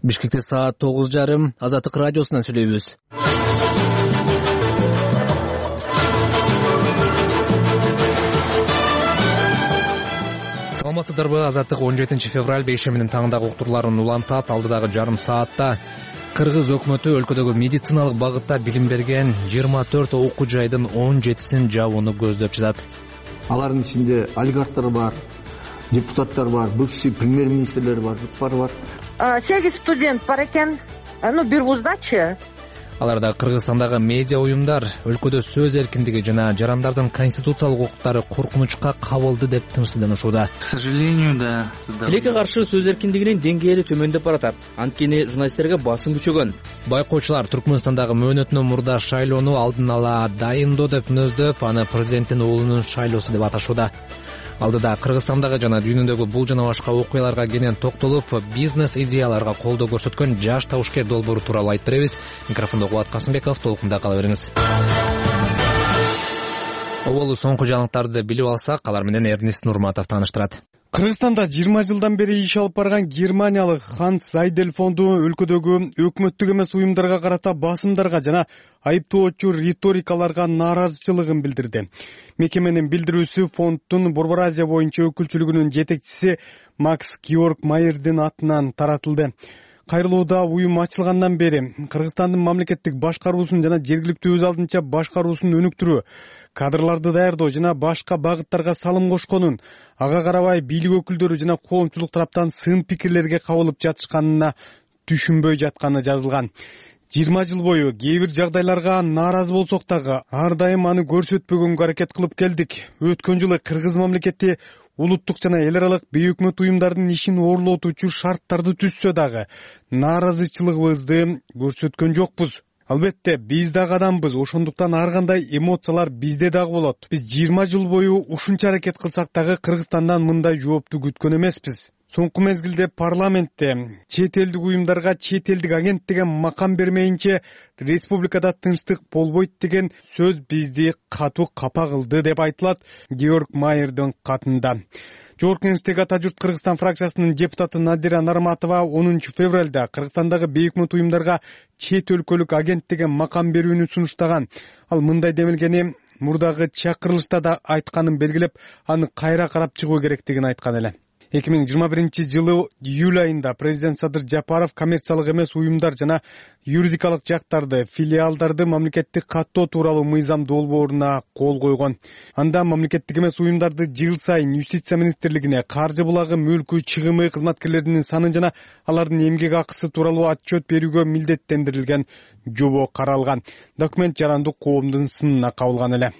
Бишкекте саат 9:30 Азаттык радиосунан сүйлөйбүз. Саламатсыздарбы? Азаттык 17 февраль бейшеминин таңдагы уктурларын улантат. Алдыдагы жарым саатта Кыргыз өкмөтү өлкөдөгү медициналык багытта билим берген 24 окуу жайдын 17син жабууну көздөп жатат. Алардын ичинде олигархтар бар, депутаттар бар, бывший премьер-министрлер бар, жуптары бар. 8 студент бар экен. Бир вуздачы. Аларда Кыргызстандагы медиа уюмдар өлкөдө сөз эркиндиги жана жарандардын конституциялык укуктары коркунучка кабылды деп тынчсызданышууда. К сожалению, да. Тилекке каршы сөз эркиндигинин деңгээли төмөндөп баратат. Анткени журналисттерге басым күчөгөн. Байкоочулар Түркмөнстандагы мөөнөтүнөн мурда шайлоону алдын ала дайындоо деп мүнөздөп, аны президенттин уулунун шайлоосу деп аташууда. Алдыда Кыргызстандагы жана дүйнөдөгү бул жана башка окуяларга кенен токтолуп, бизнес идеяларга колдоо көрсөткөн жаш табышкер долбоору тууралуу айтып беребиз. Микрофондо Кубат Касымбеков, толкунда кала бериңиз. Оболу соңку жаңылыктарды билип алсак, алар менен Эрнест Нурматов тааныштырат. Кыргызстанда 20 жылдан бери иш алып барган германиялык Ханс Зайдель фонду өлкөдөгү өкмөттүк эмес уюмдарга карата басымдарга жана айыптоочу риторикаларга нааразычылыгын билдирди. Мекеменин билдирүүсү фонддун Борбор Азия боюнча өкүлчүлүгүнүн жетекчиси Макс Георг Майердин атынан таратылды. Кайрылууда уюм ачылгандан бери Кыргызстандын мамлекеттик башкаруусун жана жергиликтүү өз алдынча башкаруусун өнүктүрүү, кадрларды даярдоо жана башка багыттарга салым кошконун, ага карабай бийлик өкүлдөрү жана коомчулук тараптан сын пикирлерге кабылып жатышканына түшүнбөй жатканы жазылган. 20 жыл бою кээ бир жагдайларга нааразы болсок дагы ар дайым аны көрсөтпөгөнгө аракет кылып келдик. Өткөн жылы Кыргыз мамлекети улуттук жана эл аралык бейөкмөт уюмдардын ишин ooрлотуучу шарттарды түзсө дагы нааразычылыгыбызды көрсөткөн жокпуз. Албетте, биз дагы адамбыз, ошондуктан ар кандай эмоциялар бизде дагы болот. Биз 20 жыл бою ушунча аракет кылсак дагы Кыргызстандан мындай жоопту күткөн эмеспиз. Соңку мезгилде парламентте чет элдик уюмдарга чет элдик агент деген макам бермейинче республикада тынчтык болбойт деген сөз бизди катуу капа кылды деп айтылат Георг Майердин катында. Жогорку Кеңештеги ата журт Кыргызстан фракциясынын депутаты Надира Нарматова 10 февралда Кыргызстандагы бейөкмөт уюмдарга чет өлкөлүк агент деген макам берүүнү сунуштаган. Ал мындай демилгени мурдагы чакырылышта да айтканын белгилеп, аны кайра карап чыгуу керектигин айткан эле. 2021 жылы июль айында президент Садыр Жапаров коммерциялык эмес уюмдар жана юридикалык жактарды, филиалдарды мамлекеттик каттоо тууралуу мыйзам долбооруна кол койгон. Анда мамлекеттик эмес уюмдарды жыл сайын Юстиция министрлигине каржы булагы, мүлкү, чыгымы, кызматкерлеринин санын жана алардын эмгек акысы тууралуу отчет берүүгө милдеттендирилген жобо каралган. Документ жарандык коомдун сынына кабылган эле.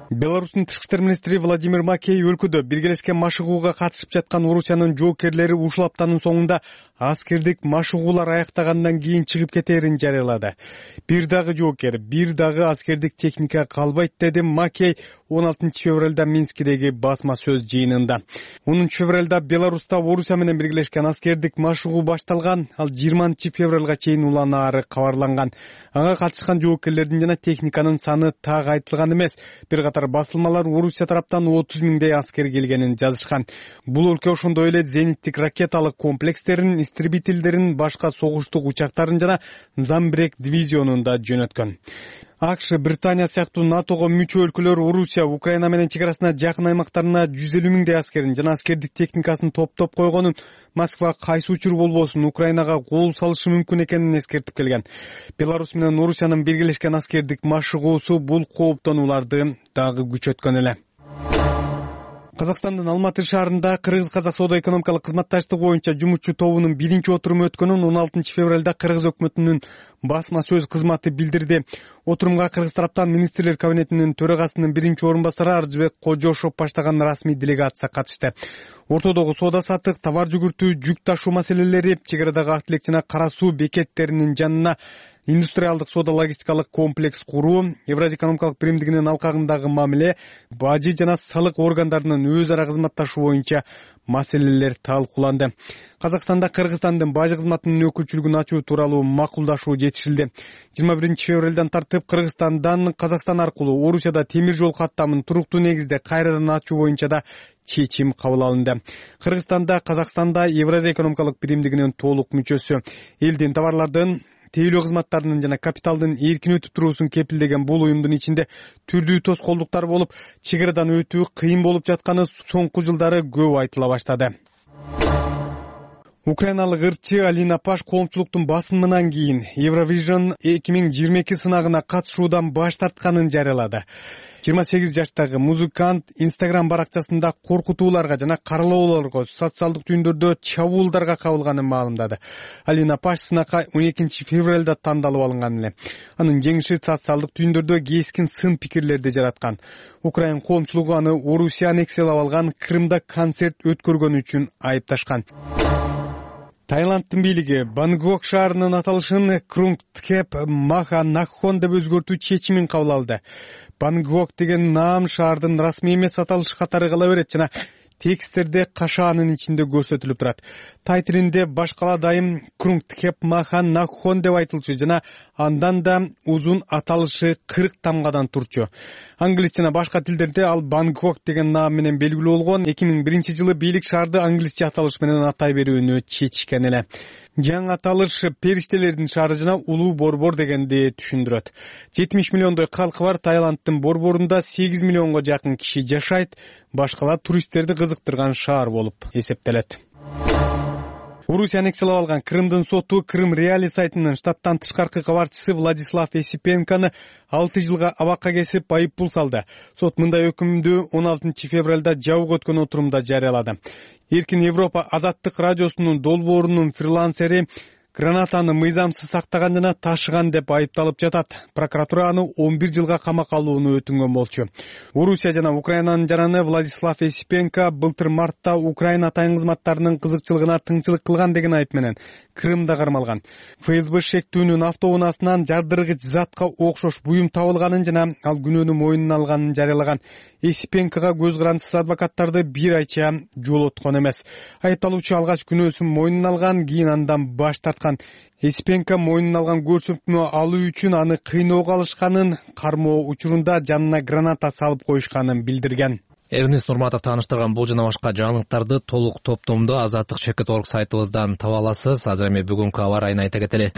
Беларустун тышкы иштер министри Владимир Макей өлкөдө биргелешкен машыгууга катышып жаткан Орусиянын жоокерлери ушул аптанын соңунда аскердик машыгуулар аяктагандан кийин чыгып кетээрин жарыялады. Бир дагы жоокер, бир дагы аскердик техника калбайт деди Макей 16 февралда Минскидеги басма сөз жыйынында. 10 февралда Беларуста Орусия менен биргелешкен аскердик машыгуу башталган, ал 20 февралга чейин уланаары кабарланган. Ага катышкан жоокерлердин жана техниканын саны так айтылган эмес. Бир катар басылмалар Орусия тараптан 30 миңдей аскер келгенин жазышкан. Бул өлкө ошондой эле зениттик ракеталык комплекстерин, истребительдерин, башка согуштук учактарын жана Замбрек дивизионун да жөнөткөн. АКШ, Британия сыяктуу НАТОго мүчө өлкөлөр Орусия, Украина менен чек арасына жакын аймактарына 150 миңдей аскерин жана аскердик техникасын топтоп койгонун, Москва кайсы учур болбосун Украинага кол салышы мүмкүн экенин эскертип келген. Беларус менен Орусиянын биргелешкен аскердик машыгуусу бул кооптонууларды дагы күчөткөн эле. Казакстандын Алматы шаарында Кыргыз-Казак соода-экономикалык кызматташтык боюнча жумушчу тобунун биринчи отуруму өткөнүн 16 февралда Кыргыз өкмөтүнүн басма сөз кызматы билдирди. Отурумга Кыргыз тараптан министрлер кабинетинин төрагасынын биринчи орун басары Аржыбек Кожошов баштаган расмий делегация катышты. Ортодогу соода саттык, товар жүгүртүү, жүк ташуу маселелери, чек арадагы актилек жана кара суу бекеттеринин жанына индустриалдык соода логистикалык комплекс куруу, Евразия экономикалык биримдигинин алкагындагы мамиле, бажы жана салык органдарынын өз ара кызматташуу боюнча маселелер талкууланды. Казакстанда Кыргызстандын бажы кызматынын өкүлчүлүгүн ачуу тууралуу макулдашуу жетишилди. 21 февралдан тартып Кыргызстандан Казакстан аркылуу Орусияда темир жол каттамын туруктуу негизде кайрадан ачуу боюнча да чечим кабыл алынды. Кыргызстанда Казакстанда Евразия экономикалык биримдигинин толук мүчөсү. Элдин товарлардын, тейлөө кызматтарынын жана капиталдын эркин өтүп туруусун кепилдеген бул уюмдун ичинде түрдүү тоскоолдуктар болуп, чек арадан өтүү кыйын болуп жатканы соңку жылдары көп айтыла баштады. Украиналык ырчы Алина Паш коомчулуктун басымынан кийин Eurovision 2022 сынагына катышуудан баш тартканын жарыялады. 28 жаштагы музыкант Instagram баракчасында коркутууларга жана каралоолорго, социалдык түйүндөрдө чабуулдарга кабылганын маалымдады. Алина Паш сынакка 12 февралда тандалып алынган эле. Анын жеңиши социалдык түйүндөрдө кескин сын пикирлерди жараткан. Украин коомчулугу аны Орусия аннексиялап алган Крымда концерт өткөргөнү үчүн айыпташкан. Таиланддын бийлиги Бангкок шаарынын аталышын Крунгтхеп Маха Накхон деп өзгөртүү чечимин кабыл алды. Бангкок деген наам шаардын расмий эмес аталышы катары кала берет жана тексттерде кашаанын ичинде көрсөтүлүп турат. Тай тилинде баш кала дайым Крунгтхеп Маха Накхон деп айтылчу жана андан да узун аталышы 40 тамгадан турчу. Англис жана башка тилдерде ал Бангкок деген наам менен белгилүү болгон. 2001 жылы бийлик шаарды англисче аталыш менен атай берүүнү чечишкен эле. Жаңы аталыш периштелердин шаары жана улуу борбор дегенди түшүндүрөт. 70 миллиондой калкы бар Таиланддын борборунда 8 миллионго жакын киши жашайт. Башкала туристтерди кызыктырган шаар болуп эсептелет. Орусия аннексиялап алган Крымдын соту Крым Реали сайтынын штаттан тышкаркы кабарчысы Владислав Есипенкону 6 жылга абакка кесип айыппул салды. Сот мындай өкүмдү 16 февралда жабык өткөн отурумда жарыялады. Эркин Европа азаттык радиосунун долбоорунун фрилансери гранатаны мыйзамсыз сактаган жана ташыган деп айыпталып жатат. Прокуратура аны 11 жылга камакка алууну өтүнгөн болчу. Орусия жана Украинанын жараны Владислав Есипенко былтыр мартта Украина атайын кызматтарынын кызыкчылыгына тыңчылык кылган деген айып менен Крымда кармалган. ФСБ шектүүнүн автоунаасынан жардыргыч затка окшош буюм табылганын жана ал күнөөнү мойнуна алганын жарыялаган. Есипенкога көз карандысыз адвокаттарды бир айча жолоткон эмес. Айыпталуучу алгач күнөөсүн мойнуна алган, кийин андан баш тарткан. Есипенко мойнуна алган көрсөтмө алуу үчүн аны кыйноого алышканын, кармоо учурунда жанына граната салып коюшканын билдирген. Эрнест Нурматов тааныштырган бул жана башка жаңылыктарды толук топтомдо Азаттык.org сайтыбыздан таба аласыз. Азыр эми бүгүнкү аба ырайын айта кетели.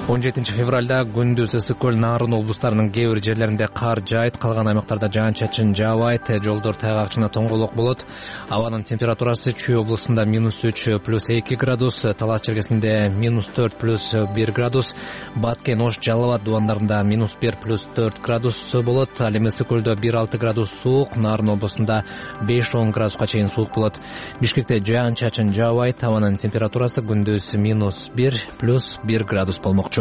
17 февралда күндүз Ысык-Көл, Нарын облустарынын кээ бир жерлеринде кар жаайт, калган аймактарда жаан-чачын жаабайт, жолдор тайгак жана тоңголок болот. Абанын температурасы Чүй облусунда -3 + 2 градус, Талас чергесинде -4 + 1 градус, Баткен, Ош, Жалал Абад дубандарында -1 + 4 градус болот. Ал эми Ысык-Көлдө 1-6 градус суук, Нарын облусунда 5-10 градуска чейин суук болот. Бишкекте жаан-чачын жаабайт, абанын температурасы күндүз -1 + 1 градус болмокчу.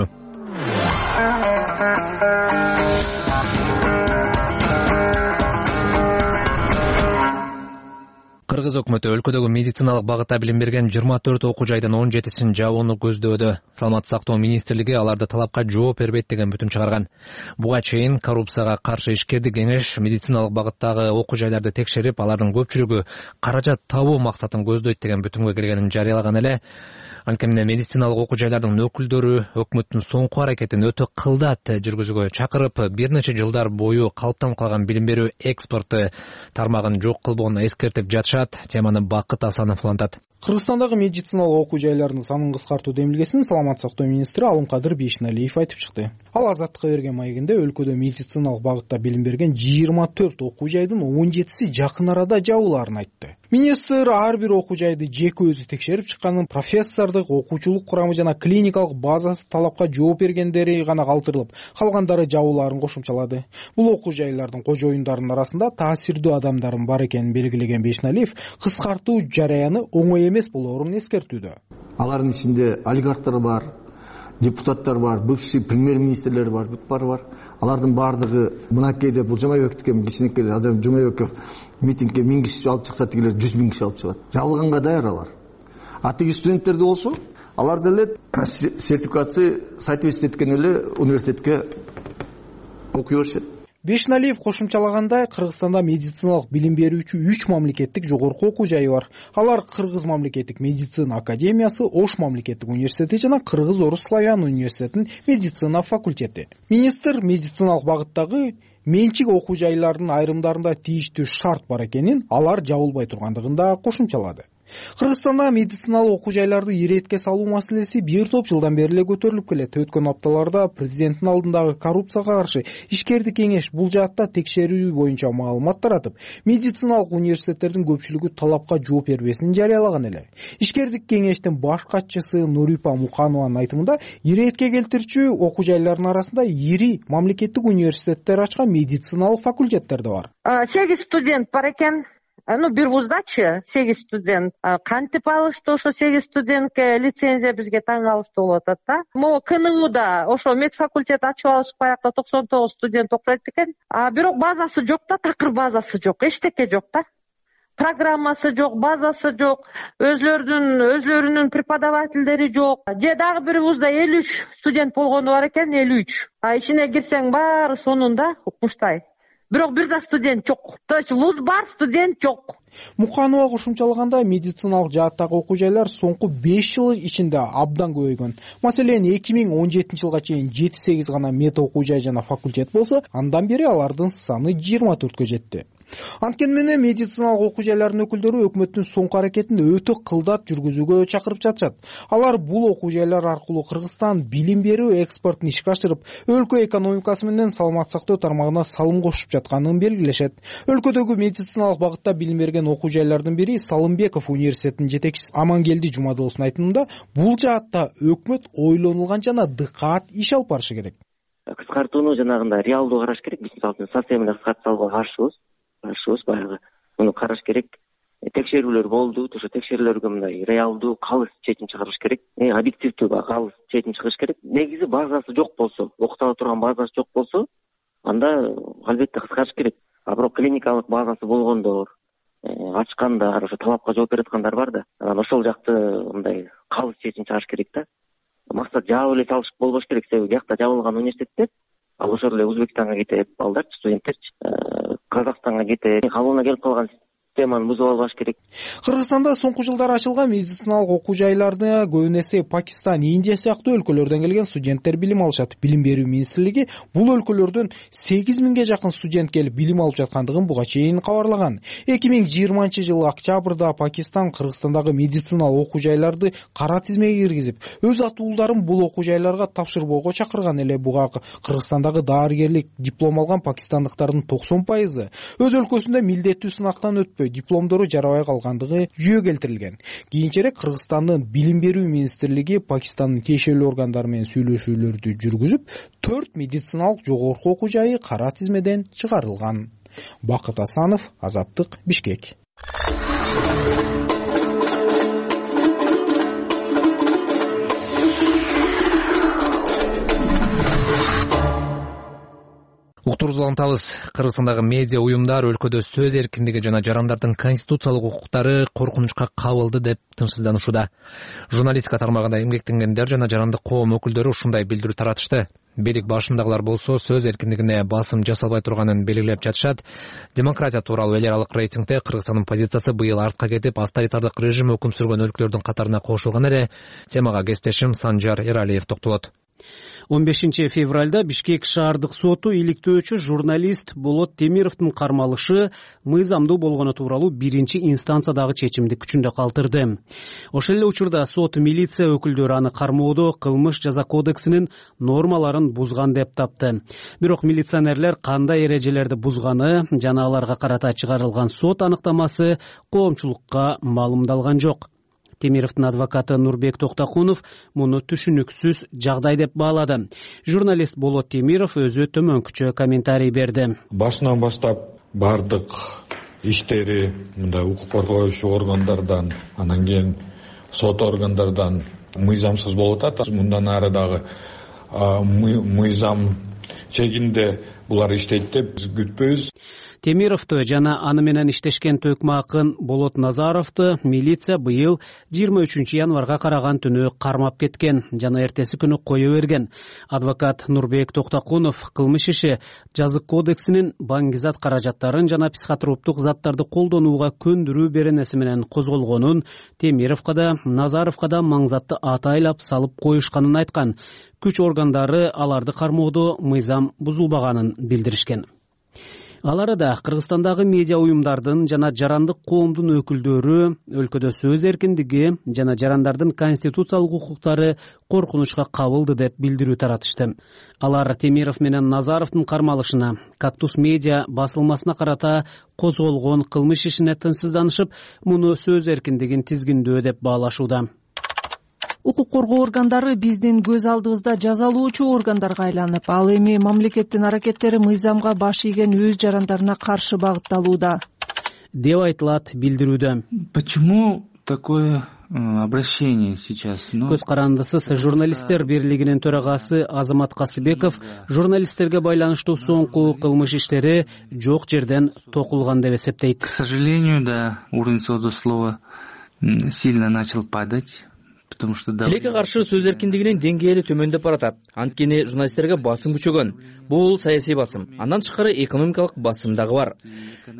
Кыргыз өкмөтү өлкөдөгү медициналык багытта билим берген 24 окуу жайдын 17-син жабууну көздөөдө. Саламаттык сактоо министрлиги аларды талапка жооп бербейт деген бүтүм чыгарган. Буга чейин коррупцияга каршы ишкердик кеңеш медициналык багыттагы окуу жайларды текшерип, алардын көпчүлүгү каражат табуу максатын көздөйт деген бүтүмгө келгенин жарыялаган эле. Анткени медициналык окуу жайлардын өкүлдөрү өкмөттүн соңку аракетин өтө кылдат жүргүзүүгө чакырып, бир нече жылдар бою калыптанып калган билим берүү экспорты тармагын жок кылбоону эскертип жатышат. Теманы Бакыт Асанов улантат. Кыргызстандагы медициналык окуу жайларынын санын кыскартуу демилгесин саламаттык сактоо министри Алымкадыр Бейшеналиев айтып чыкты. Ал Азаттыкка берген маегинде өлкөдө медициналык багытта билим берген 24 окуу жайдын 17си жакын арада жабылаарын айтты. Министр ар бир окуу жайды жеке өзү текшерип чыкканын, профессордук, окуучулук курамы жана клиникалык базасы талапка жооп бергендери гана калтырылып, калгандары жабылаарын кошумчалады. Бул окуу жайлардын кожоюндарынын арасында таасирдүү адамдардын бар экенин белгилеген Бейшеналиев кыскартуу жараяны оңой эмес болоорун эскертүүдө. Алардын ичинде олигархтар бар, депутаттар бар, бывший премьер-министрлер бар, бар. Алардын баардыгы мынакейде бул Жумабековдуке кичинекей азыр Жумабеков митингге 1000 киши алып чыкса, тигилер 100 000 киши алып чыгат. Жабылганга даяр алар. Атеги студенттерди болсо, алар деле сертификация соответствие эткен эле университетке окуй беришет. Бешналиев кошумчалагандай, Кыргызстанда медициналык билим берүүчү 3 мамлекеттик жогорку окуу жайы бар. Алар Кыргыз мамлекеттик медицина академиясы, Ош мамлекеттик университети жана Кыргыз-Орус славян университетинин медицина факультети. Министр медициналык багыттагы менчик окуу жайларынын айрымдарында тийиштүү шарт бар экенин, алар жабылбай тургандыгын да кошумчалады. Кыргызстанда медициналык окуу жайларды иретке салуу маселеси бир топ жылдан бери эле көтөрүлүп келет. Өткөн апталарда президенттин алдындагы коррупцияга каршы ишкердик кеңеш бул жаатта текшерүү боюнча маалымат таратып, медициналык университеттердин көпчүлүгү талапка жооп бербесин жарыялаган эле. Ишкердик кеңештин баш катчысы Нурипа Муханованын айтымында, иретке келтирүүчү окуу жайларынын арасында ири мамлекеттик университеттер ачкан медициналык факультеттер да бар. 8 студент бар экен. Бир вуздачы 8 студент. Кантип алышты ошо 8 студентке лицензия бизге таң калыштуу болуп атат да. Могу КНУда ошо медфакультет ачып алышып баягы 99 студент окуйт экен. Бирок базасы жок да, такыр базасы жок, эчтеке жок да. Программасы жок, базасы жок, өзлөрүнүн преподавательдери жок. Же дагы бир вузда 53 студент болгону бар экен, 53. Ичине кирсең баары сонунда укмуштай. Бирок бир да студент жок. То есть вуз бар, студент жок. Муханова кошумчалагандай, медициналык жааттагы окуу жайлар соңку 5 жыл ичинде абдан көбөйгөн. Маселен, 2017 жылга чейин 7-8 гана мед окуу жай жана факультет болсо, андан бери алардын саны 24кө жетти. Анткени менен медициналык окуу жайлардын өкүлдөрү өкмөттүн соңку аракетин өтө кылдат жүргүзүүгө чакырып жатышат. Алар бул окуу жайлар аркылуу Кыргызстан билим берүү экспортун ишке ашырып, өлкө экономикасы менен саламат сактоо тармагына салым кошуп жатканын белгилешет. Өлкөдөгү медициналык багытта билим берген окуу жайлардын бири Салымбеков университетинин жетекчиси Амангелди Жумадыловдун айтымында, бул жаатта өкмөт ойлонулган жана дыкаат иш алып барышы керек. Кыскартууну жанагындай реалдуу караш керек. Биз мисалы совсем эле кыскартсалга каршыбыз баягы муну караш керек. Текшерүүлөр болду, ошо текшерүүлөргө мындай реалдуу калыс чечим чыгарыш керек. Объективдүү калыс чечим чыгыш керек. Негизи базасы жок болсо, окута турган базасы жок болсо, анда албетте кыскартыш керек. Бирок клиникалык базасы болгондор, ачкандар, ошо талапка жооп берип аткандар бар да. Анан ошол жакты мындай калыс чечим чыгарыш керек да. Максат жаап эле салыш болбош керек. Себеби биякта жабылган университеттер, ал ошол эле Өзбекстанга кетет, балдарчы, студенттерчи, Казакстанга кетет. Калыбына келип калган системаны бузуп албаш керек. Кыргызстанда соңку жылдары ачылган медициналык окуу жайларда көбүн эсе Пакистан, Индия сыяктуу өлкөлөрдөн келген студенттер билим алышат. Билим берүү министрлиги бул өлкөлөрдөн 8000ге жакын студент келип билим алып жаткандыгын буга чейин кабарлаган. 2020 октябрда Пакистан Кыргызстандагы медициналык окуу жайларды кара тизмеге киргизип, өз атуулдарын бул окуу жайларга тапшырбоого чакырган эле. Буга Кыргызстандагы дарыгерлик диплом алган пакистандыктардын 90% өз өлкөсүндө милдеттүү сынактан өтпөй дипломдору жарабай калгандыгы жүйө келтирилген. Кийинчерээк Кыргызстандын билим берүү министрлиги Пакистандын тиешелүү органдары менен сүйлөшүүлөрдү жүргүзүп, 4 медициналык жогорку окуу жайы кара тизмеден чыгарылган. Бакыт Асанов, Азаттык, Бишкек. Уктурубузду улантабыз. Кыргызстандагы медиа уюмдар өлкөдө сөз эркиндиги жана жарандардын конституциялык укуктары коркунучка кабылды деп тынчсызданышууда. Журналистика тармагында эмгектенгендер жана жарандык коом өкүлдөрү ушундай билдирүү таратышты. Бийлик башындагылар болсо сөз эркиндигине басым жасалбай турганын белгилеп жатышат. Демократия тууралуу эл аралык рейтингде Кыргызстандын позициясы быйыл артка кетип, авторитардык режим өкүм сүргөн өлкөлөрдүн катарына кошулган эле. Темага кесиптешим Санжар Эралиев токтолот. 15 февралда Бишкек шаардык соту иликтөөчү журналист Болот Темировдун кармалышы мыйзамдуу болгону тууралуу биринчи инстанциядагы чечимди күчүндө калтырды. Ошол эле учурда сот милиция өкүлдөрү аны кармоодо кылмыш жаза кодексинин нормаларын бузган деп тапты. Бирок милиционерлер кандай эрежелерди бузганы жана аларга карата чыгарылган сот аныктамасы коомчулукка маалымдалган жок. Темировдун адвокаты Нурбек Токтокунов муну түшүнүксүз жагдай деп баалады. Журналист Болот Темиров өзү төмөнкүчө комментарий берди. Башынан баштап бардык иштери мындай укук коргоочу органдардан, анан кийин сот органдардан мыйзамсыз болуп атат. Мындан ары дагы мыйзам чегинде булар иштейт деп күтпөйбүз. Темировду жана аны менен иштешкен төкмө акын Болот Назаровду милиция быйыл 23 январга караган түнү кармап кеткен жана эртеси күнү кое берген. Адвокат Нурбек Токтокунов кылмыш иши жазык кодексинин баңгизат каражаттарын жана психотроптук заттарды колдонууга көндүрүү беренеси менен козголгонун, Темировго да, Назаровго да маңзатты атайлап салып коюшканын айткан. Күч органдары аларды кармоодо мыйзам бузулбаганын билдиришкен. Ал арада Кыргызстандагы медиа уюмдардын жана жарандык коомдун өкүлдөрү өлкөдө сөз эркиндиги жана жарандардын конституциялык укуктары коркунучка кабылды деп билдирүү таратышты. Алар Темиров менен Назаровдун кармалышына, Кактус медиа басылмасына карата козголгон кылмыш ишине тынчсызданышып, муну сөз эркиндигин тизгиндөө деп баалашууда. Укук коргоо органдары биздин көз алдыбызда жазалоочу органдарга айланып, ал эми мамлекеттин аракеттери мыйзамга баш ийген өз жарандарына каршы багытталууда деп айтылат билдирүүдө. Почему такое обращение сейчас? Көз карандысыз журналисттер бирлигинин төрагасы Азамат Касыбеков журналисттерге байланыштуу соңку кылмыш иштери жок жерден токулган деп эсептейт. К сожалению, да, уровень свободы слова сильно начал падать. Тилекке каршы сөз эркиндигинин деңгээли төмөндөп баратат. Анткени журналисттерге басым күчөгөн. Бул саясий басым. Андан тышкары экономикалык басым дагы бар.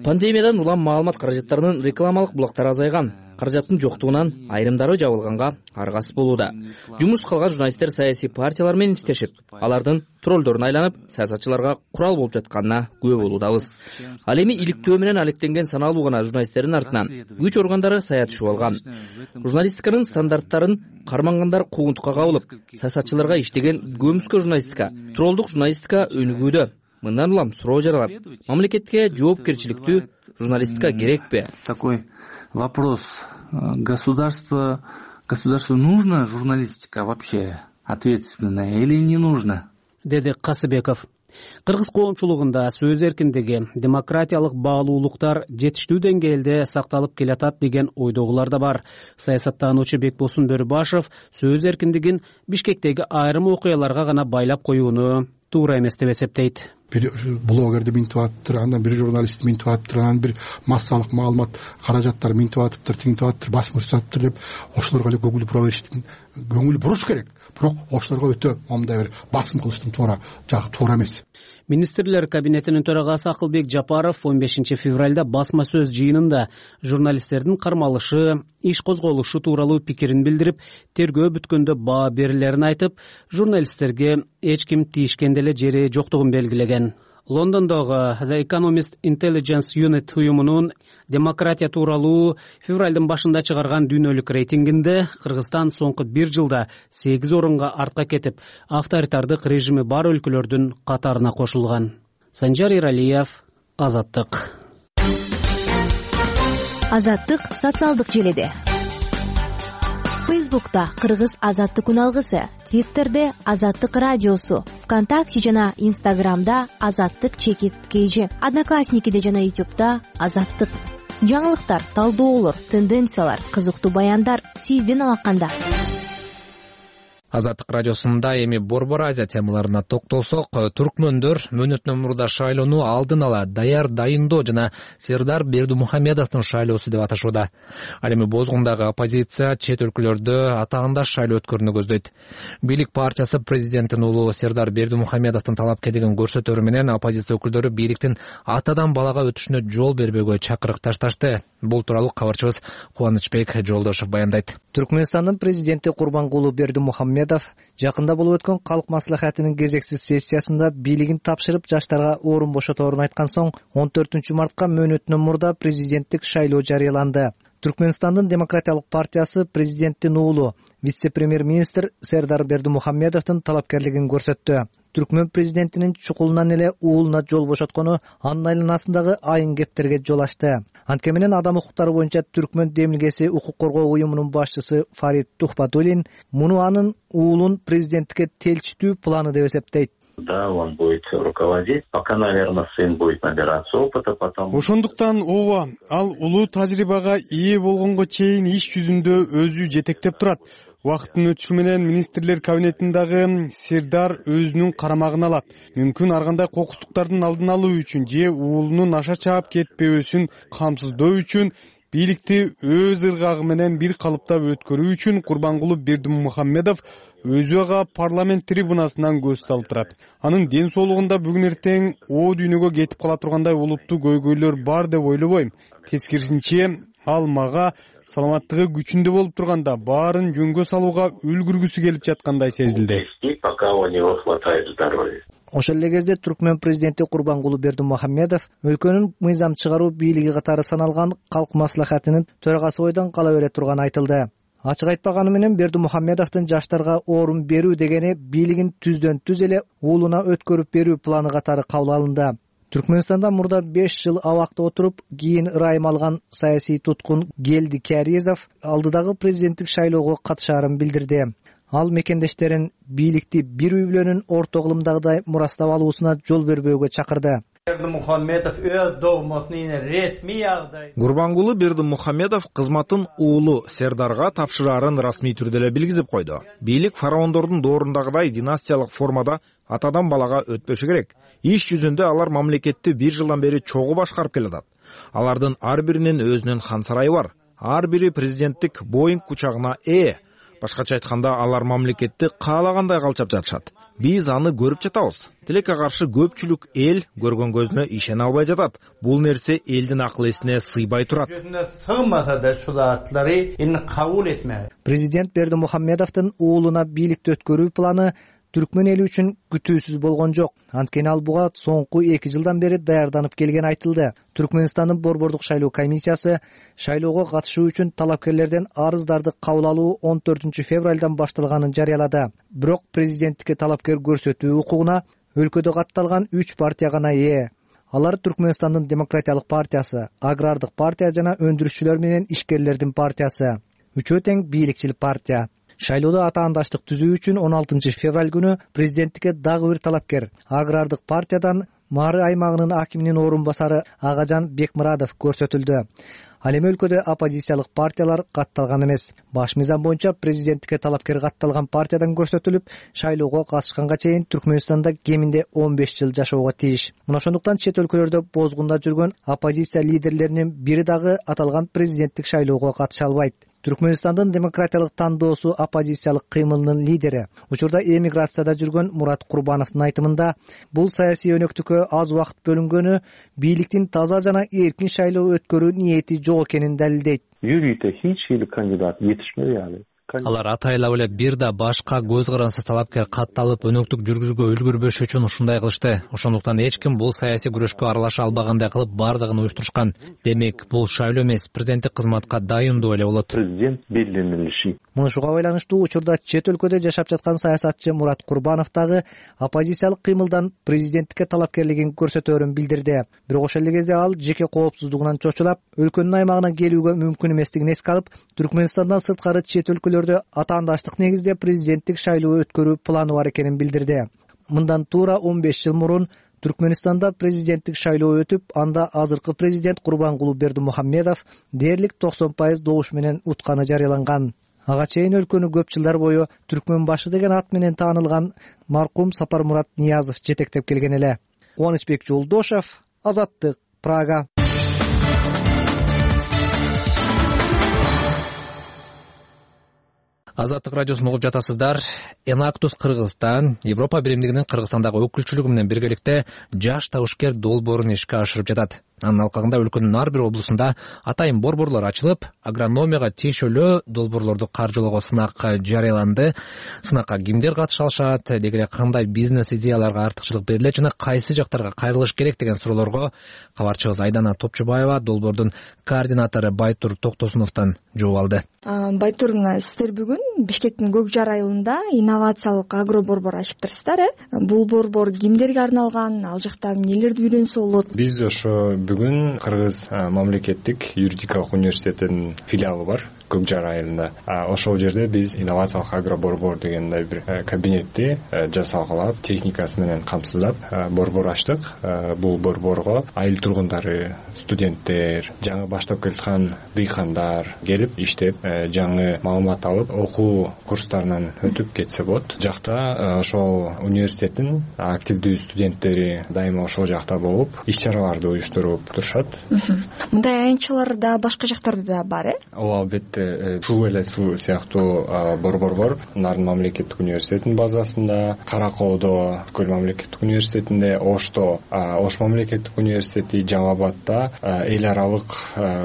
Пандемиядан улам маалымат каражаттарынын рекламалык булактары азайган. Каражаттын жоктугунан айрымдары жабылганга аргасыз болууда. Жумуш калган журналисттер саясий партиялар менен иштешип, алардын троллдорун айланып, саясатчыларга курал болуп жатканына күбө болуудабыз. Ал эми иликтөө менен алектенген саналуу гана журналисттердин артынан күч органдары саятышып алган. Журналистиканын стандарттарын кармангандар куугунтукка кабылып, саясатчыларга иштеген көмүскө журналистика, троллдук журналистика өнүгүүдө. Мындан улам суроо жаралат. Мамлекетке жоопкерчиликтүү журналистика керекпи? Такой вопрос. Государству нужна журналистика вообще ответственная или не нужна? Деди Касыбеков. Кыргыз коомчулугунда сөз эркиндиги, демократиялык баалуулуктар жетиштүү деңгээлде сакталып келатат деген ойдогулар да бар. Саясаттануучу Бекбосун Бөрүбашев сөз эркиндигин Бишкектеги айрым окуяларга гана байлап коюуну туура эмес деп эсептейт. Бир блогерди минтип атыптыр, андан бир журналист минтип атыптыр, анан бир массалык маалымат каражаттары минтип атыптыр, тигинтип атыптыр, басым атыптыр деп ошолорго эле көңүл буруш керек. Бирок ошолорго өтө мындай бир басым кылыштын туура эмес. Министрлер кабинетинин төрагасы Акылбек Жапаров 15 февралда басма сөз жыйынында журналисттердин кармалышы, иш козголушу тууралуу пикирин билдирип, тергөө бүткөндө баа берилерин айтып, журналисттерге эч ким тийишкен деле жери жоктугун белгилеген. Лондондогу The Economist Intelligence Unit уюмунун демократия тууралуу февралдын башында чыгарган дүйнөлүк рейтингинде Кыргызстан соңку 1 жылда 8 орунга артка кетип, авторитардык режими бар өлкөлөрдүн катарына кошулган. Санжар Иралиев, Азаттык. Азаттык социалдык желеде. Фейсбукта Кыргыз Азаттык үналгысы, Твиттерде Азаттык радиосу, ВКонтакте жана Инстаграмда Азаттык _KG, Одноклассникиде жана Ютубта Азаттык. Жаңылыктар, талдоолор, тенденциялар, кызыктуу баяндар сиздин алаканда. Азаттык радиосунда эми Борбор Азия темаларына токтолсок, түркмөндөр мөөнөтүнөн мурда шайлоону алдын ала дайындоо жана Сердар Бердимухамедовдун шайлоосу деп аташууда. Ал эми бозгундагы оппозиция чет өлкөлөрдө атаандаш шайлоо өткөрүүнү көздөйт. Бийлик партиясы президенттин уулу Сердар Бердимухамедовдун талапкерлигин көрсөтөрү менен оппозиция өкүлдөрү бийликтин атадан балага өтүшүнө жол бербөөгө чакырык ташташты. Бул тууралуу кабарчыбыз Кубанычбек Жолдошов баяндайт. Түркмөнстандын президенти Курбангулу Бердимухамедов жакында болуп өткөн калк маслихатынын кезексиз сессиясында бийлигин тапшырып жаштарга орун бошоторун айткан соң 14 мартка мөөнөтүнөн мурда президенттик шайлоо жарыяланды. Түркмөнстандын демократиялык партиясы президенттин уулу вице-премьер-министр Сердар Бердимухамедовдун талапкерлигин көрсөттү. Түркмөн президентинин чукулунан эле уулуна жол бошоткону анын айланасындагы айын кептерге жол ачты. Анткени менен адам укуктары боюнча Түркмөн демилгеси укук коргоо уюмунун башчысы Фарид Тухбатуллин муну анын уулун президенттикке телчитүү планы деп эсептейт. Да, он будет руководить, пока, наверное, сын будет набираться опыта, потом... Ошондуктан ооба, ал улуу тажрыйбага ээ болгонго чейин иш жүзүндө өзү жетектеп турат. Убакыттын өтүшү менен министрлер кабинетиндагы Сердар өзүнүн карамагына алат. Мүмкүн ар кандай кокустуктардын алдын алуу үчүн же уулунун аша чаап кетпөөсүн камсыздоо үчүн бийликти өз ыргагы менен бир калыпта өткөрүү үчүн Курбангулу Бердимухаммедов өзү ага парламент трибунасынан көз салып турат. Анын ден соолугунда бүгүн эртең о дүйнөгө кетип кала тургандай олуттуу көйгөйлөр бар деп ойлобойм. Тескерисинче ал мага саламаттыгы күчүндө болуп турганда баарын жөнгө салууга үлгүргүсү келип жаткандай сезилди. Ошол эле кезде Түркмөн президенти Курбангулу Бердимухаммедов өлкөнүн мыйзам чыгаруу бийлиги катары саналган калк маслахатынын төрагасы бойдон кала бере турганы айтылды. Ачык айтпаганы менен Бердимухаммедовдун жаштарга орун берүү дегени бийлигин түздөн түз эле уулуна өткөрүп берүү планы катары кабыл алынды. Түркмөнстанда мурда 5 жыл абакта отуруп, кийин ырайым алган саясий туткун Гелди Кәризов алдыдагы президенттик шайлоого катышаарын билдирди. Ал мекендештерин бийликти бир үй бүлөнүн орто кылымдагыдай мурастап алуусуна жол бербөөгө чакырды. Курбангулу Бердимухаммедов кызматын уулу Сердарга тапшыраарын расмий түрдө эле билгизип койду. Бийлик фараондордун доорундагыдай династиялык формада атадан балага өтпөшү керек. Иш жүзүндө алар мамлекетти 1 жылдан бери чогуу башкарып келатат. Алардын ар биринин өзүнүн хан сарайы бар. Ар бири президенттик Боинг кучагына ээ. Башкача айтканда, алар мамлекетти каалагандай калчап жатышат. Биз аны көрүп жатабыз. Тилекке каршы көпчүлүк эл көргөн көзүнө ишене албай жатат. Бул нерсе элдин акыл эсине сыйбай турат. Президент Бердимухаммедовдун уулуна бийликти өткөрүү планы Түркмөн эли үчүн күтүүсүз болгон жок. Анткени ал буга соңку 2 жылдан бери даярданып келген айтылды. Түркмөнстандын борбордук шайлоо комиссиясы шайлоого катышуу үчүн талапкерлерден арыздарды кабыл алуу 14 февралдан башталганын жарыялады. Бирок президенттикке талапкер көрсөтүү укугуна өлкөдө катталган 3 партия гана ээ. Алар Түркмөнстандын демократиялык партиясы, агрардык партия жана өндүрүшчүлөр менен ишкерлердин партиясы. Үчөө тең бийликчил партия. Шайлоодо атаандаштык түзүү үчүн 16 февраль күнү президенттикке дагы бир талапкер агрардык партиядан Мары аймагынын акиминин орун басары Агажан Бекмурадов көрсөтүлдү. Ал эми өлкөдө оппозициялык партиялар катталган эмес. Баш мыйзам боюнча президенттикке талапкер катталган партиядан көрсөтүлүп, шайлоого катышканга чейин Түркмөнстанда кеминде 15 жыл жашоого тийиш. Мына ошондуктан чет өлкөлөрдө бозгунда жүргөн оппозиция лидерлеринин бири дагы аталган президенттик шайлоого катыша албайт. Түркмөнстандын демократиялык тандоосу оппозициялык кыймылынын лидери, учурда эмиграцияда жүргөн Мурат Курбановдун айтымында, бул саясий өнөктүккө аз убакыт бөлүнгөнү бийликтин таза жана эркин шайлоо өткөрүү ниети жок экенин далилдейт. Кандидат жетишмedi. Алар атайлап эле бир да башка көз карансыз талапкер катталып өнөктүк жүргүзүүгө үлгүрбөш үчүн ушундай кылышты. Ошондуктан эч ким бул саясий күрөшкө аралаша албагандай кылып бардыгын уюштурушкан. Демек, бул шайлоо эмес, президенттик кызматка дайындоо эле болот. Президент белгилениши. Мунушуга байланыштуу учурда чет өлкөдө жашап жаткан саясатчы Мурат Курбанов дагы оппозициялык кыймылдан президенттикке талапкерлигин көрсөтөөрүн билдирди. Бирок ошол эле кезде ал жеке коопсуздугунан чочулап, өлкөнүн аймагына келүүгө мүмкүн эместигин эске алып, Түркмөнстандан сырткары чет өлкөлөрдө атаандаштык негизде президенттик шайлоо өткөрүү планы бар экенин билдирди. Мындан туура 15 жыл мурун Түркмөнстанда президенттик шайлоо өтүп, анда азыркы президент Курбангулу Бердимухаммедов дээрлик 90% добуш менен утканы жарыяланган. Ага чейин өлкөнү көп жылдар бою Түркмөн башы деген ат менен таанылган маркум Сапармурат Ниязов жетектеп келген эле. Кубанычбек Жолдошев, Азаттык, Прага. Азаттык радиосун угуп жатасыздар. Enactus Кыргызстан Европа биримдигинин Кыргызстандагы өкүлчүлүгү менен биргеликте жаш табышкер долбоорун ишке ашырып жатат. Анын алкагында өлкөнүн ар бир облусунда атайын борборлор ачылып, агрономияга тиешелүү долбоорлорду каржылоого сынак жарыяланды. Сынакка кимдер катыша алышат, деги эле кандай бизнес идеяларга артыкчылык берилет жана кайсы жактарга кайрылыш керек деген суроолорго кабарчыбыз Айдана Топчубаева долбоордун координатору Байтур Токтосуновдон жооп алды. Байтур, сиздер бүгүн Бишкектин Көк Жар айылында инновациялык агро борбор ачыптырсыздар, Бул борбор кимдерге арналган, ал жакта эмнелерди үйрөнсө болот? Биз ошо бүгүн Кыргыз мамлекеттик юридикалык университетинин филиалы бар. Көк Жар айылында. Ошол жерде биз инновациялык агро борбор деген мындай бир кабинетти жасалгалап, техникасы менен камсыздап борбор ачтык. Бул борборго айыл тургундары, студенттер, жаңы баштап келаткан дыйкандар келип иштеп, жаңы маалымат алып, окуу курстарынан өтүп кетсе болот. Жакта ошол университеттин активдүү студенттери дайыма ошол жакта болуп, иш-чараларды уюштуруп турушат. Мындай аянтчалар да башка жактарда да бар, Ооба, албетте. Суу эле суу сыяктуу борбор бар. Нарын мамлекеттик университетинин базасында, Кара Коодо Көл мамлекеттик университетинде, Ошто Ош мамлекеттик университети, Жалал Абадда эл аралык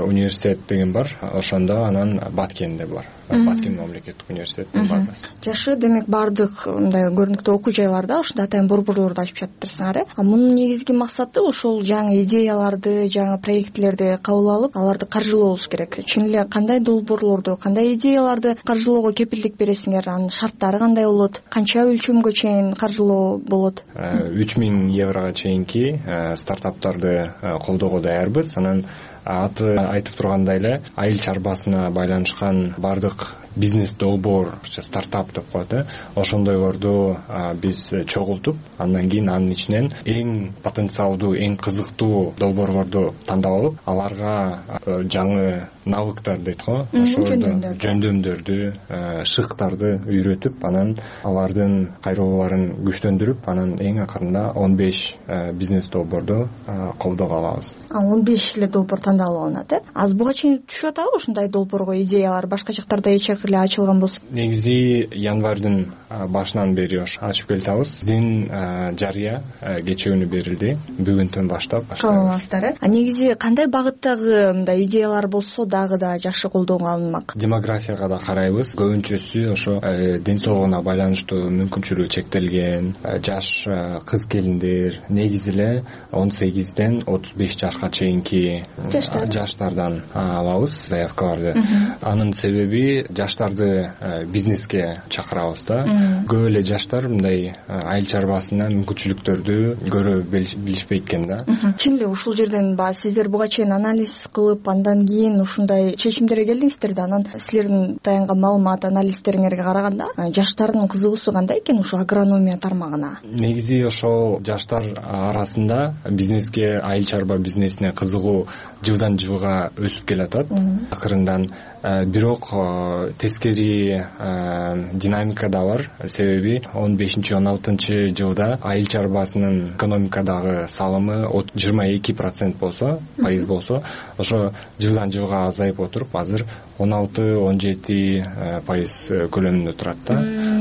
университет деген бар. Ошондо анан Баткенде бар. Баткен мамлекеттик университетинин базасы. Жакшы, демек баардык мындай көрүнүктүү окуу жайларда ушундай атайын борборлорду ачып жатырсыңар. Мунун негизги максаты ошол жаңы идеяларды, жаңы проектлерди кабыл алып, аларды каржылоо болуш керек. Чын эле кандай долбоорлорду, кандай идеяларды каржылоого кепилдик бересиңер? Анын шарттары кандай болот? Канча өлчөмгө чейин каржылоо болот? 3000 еврого чейинки стартаптарды колдоого даярбыз. Анан аты айтып тургандай эле айыл чарбасына байланышкан баардык бизнес долбоор, стартап деп коет, ошондойлорду биз чогултуп, андан кийин анын ичинен эң потенциалдуу, эң кызыктуу долбоорлорду тандап алып, аларга жаңы навыктар дейт го, ошолорду, жөндөмдөрдү, шыктарды үйрөтүп, анан алардын кайрылууларын күчтөндүрүп, анан эң акырында 15 бизнес долбоорду колдоого алабыз. 15 эле долбоор тандалып алынат, Аз буга чейин түшүп атабы ушундай долбоорго идеялар башка жактарда эч эле ачылган болсо? Негизи январдын башынан бери ачып келатабыз. Биздин жарыя кечээ берилди. Бүгүндөн баштап баштайбыз. Негизи кандай багыттагы мындай идеялар болсо дагы да жакшы колдоого алынмак? Демографияга да карайбыз. Көбүнчөсү ошо ден соолугуна байланыштуу мүмкүнчүлүгү чектелген жаш кыз келиндер, негизи эле 18ден 35 жашка чейинки жаштардан алабыз заявкаларды. Анын себеби жаштарды бизнеске чакырабыз да. Көп эле жаштар мындай айыл чарбасына мүмкүнчүлүктөрдү көрө билишпейт экен да. Чын эле ушул жерден сиздер буга чейин анализ кылып, андан кийин ушундай чечимдерге келдиңиздер да. Анан силердин таянган маалымат, анализдериңерге караганда жаштардын кызыгуусу кандай экен ушул агрономия тармагына? Негизи ошол жаштар арасында бизнеске, айыл чарба бизнесине кызыгуу жылдан жылга өсүп келатат. Акырындан бирок тескери динамика да бар. Себеби 15-16 жылда айыл чарбасынын экономикадагы салымы 22% болсо, пайыз болсо, ошо жылдан жылга азайып отуруп, азыр 16-17% көлөмүндө турат да.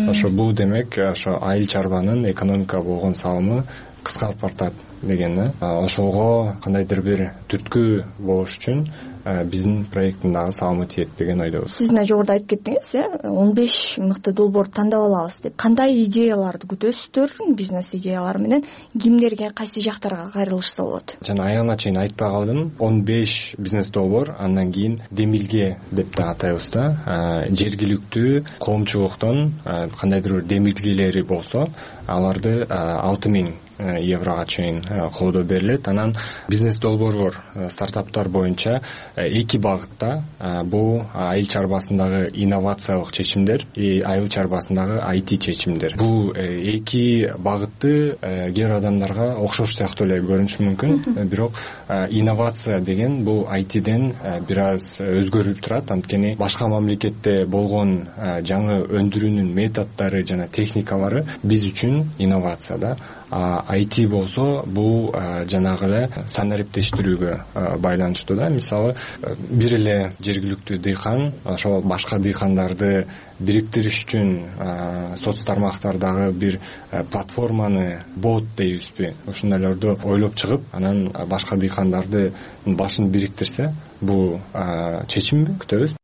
Ошо бул демек ошо айыл чарбанын экономикага болгон салымы кыскарып бартат деген да. Ошого кандайдыр бир түрткү болуш үчүн биздин проекттин дагы салымы тиет деген ойдобуз. Сиз мына жогоруда айтып кеттиңиз, 15 мыкты долбоорду тандап алабыз деп. Кандай идеяларды күтөсүздөр? Бизнес идеялары менен кимдерге, кайсы жактарга кайрылышса болот? Жана аягына чейин айтпай калдым. 15 бизнес долбоор, андан кийин демилге деп да атайбыз да. Жергиликтүү коомчулуктун кандайдыр бир демилгелери болсо, аларды 6000 еврого чейин колдоо берилет. Анан бизнес долбоорлор, стартаптар боюнча эки багытта, бул айыл чарбасындагы инновациялык чечимдер и айыл чарбасындагы IT чечимдер. Бул эки багытты кээ бир адамдарга окшош сыяктуу эле көрүнүшү мүмкүн, бирок инновация деген бул ITден бир аз өзгөрүп турат. Анткени башка мамлекетте болгон жаңы өндүрүүнүн методдору жана техникалары биз үчүн инновация да. IT болсо бул жанагы эле санариптештирүүгө байланыштуу да. Мисалы, бир эле жергиликтүү дыйкан ошол башка дыйкандарды бириктириш үчүн соц тармактардагы бир платформаны бот дейбизби, ошондойлорду ойлоп чыгып, анан башка дыйкандарды башын бириктирсе, бул чечимби күтөбүз.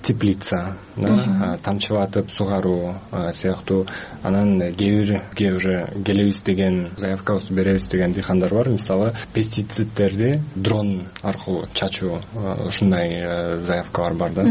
Теплица, тамчылатып сугаруу сыяктуу. Анан кээ бир келебиз деген, заявкабызды беребиз деген дыйкандар бар. Мисалы, пестициддерди дрон аркылуу чачуу, ушундай заявкалар бар да.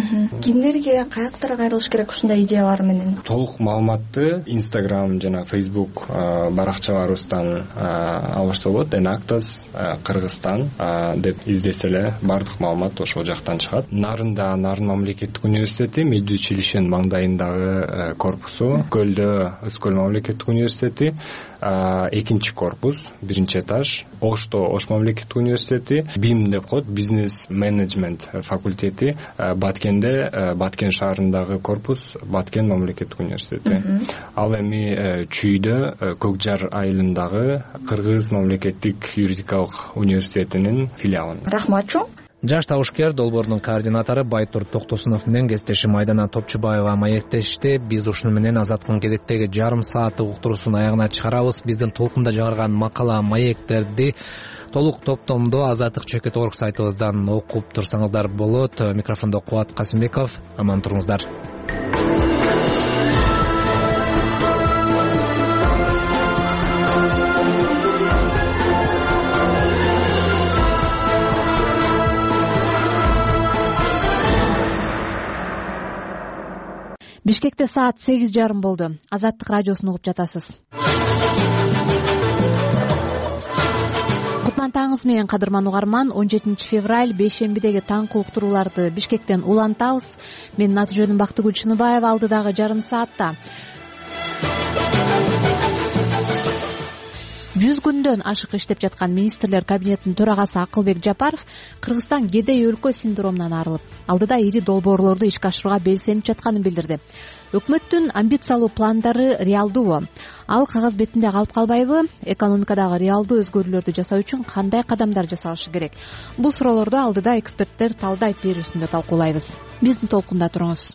Кимдерге, каяктарга кайрылыш керек ушундай идеялар менен? Толук маалыматты Instagram жана Facebook баракчаларыбыздан алышса болот. Enactus Кыргызстан деп издесе эле бардык маалымат ошол жактан чыгат. Нарын мамлекеттик мамлекеттик университети, Меди училищенин маңдайындагы корпусу, Көлдө Ызкөл мамлекеттик университети, экинчи корпус, биринчи этаж, Ошто Ош мамлекеттик университети, БИМ деп коет, бизнес менеджмент факультети, Баткенде, Баткен шаарындагы корпус, Баткен мамлекеттик университети. Ал эми Чүйдө Көк Жар айылындагы Кыргыз мамлекеттик юридикалык университетинин филиалы. Рахмат чоң. Жаш табышкер долбоордун координатору Байтур Токтосунов менен кесиптешим Айдана Топчубаева маектешти. Биз ушуну менен Азаттыктын кезектеги жарым сааттык уктуруусун аягына чыгарабыз. Биздин толкунда чыгарган макала, маектерди толук топтомдо Азаттык.org сайтыбыздан окуп турсаңыздар болот. Микрофондо Кубат Касымбеков. Аман туруңуздар. Бишкекте саат 8:30 болду. Азаттык радиосун угуп жатасыз. Кутман таңыңыз менен кадырман угарман. 17 февраль бейшембидеги таңкы уктурууларды Бишкектен улантабыз. Менин аты жөнүм Бактыгүл Чыныбаева. Алдыдагы жарым саатта 100 күндөн ашык иштеп жаткан министрлер кабинетинин төрагасы Акылбек Жапаров Кыргызстан кедей өлкө синдромунан арылып, алдыда ири долбоорлорду ишке ашырууга белсенип жатканын билдирди. Өкмөттүн амбициялуу пландары реалдуубу? Ал кагаз бетинде калып калбайбы? Экономикадагы реалдуу өзгөрүүлөрдү жасоо үчүн кандай кадамдар жасалышы керек? Бул суроолорду алдыда эксперттер талдайт берүүсүндө талкуулайбыз. Биздин толкунда туруңуз.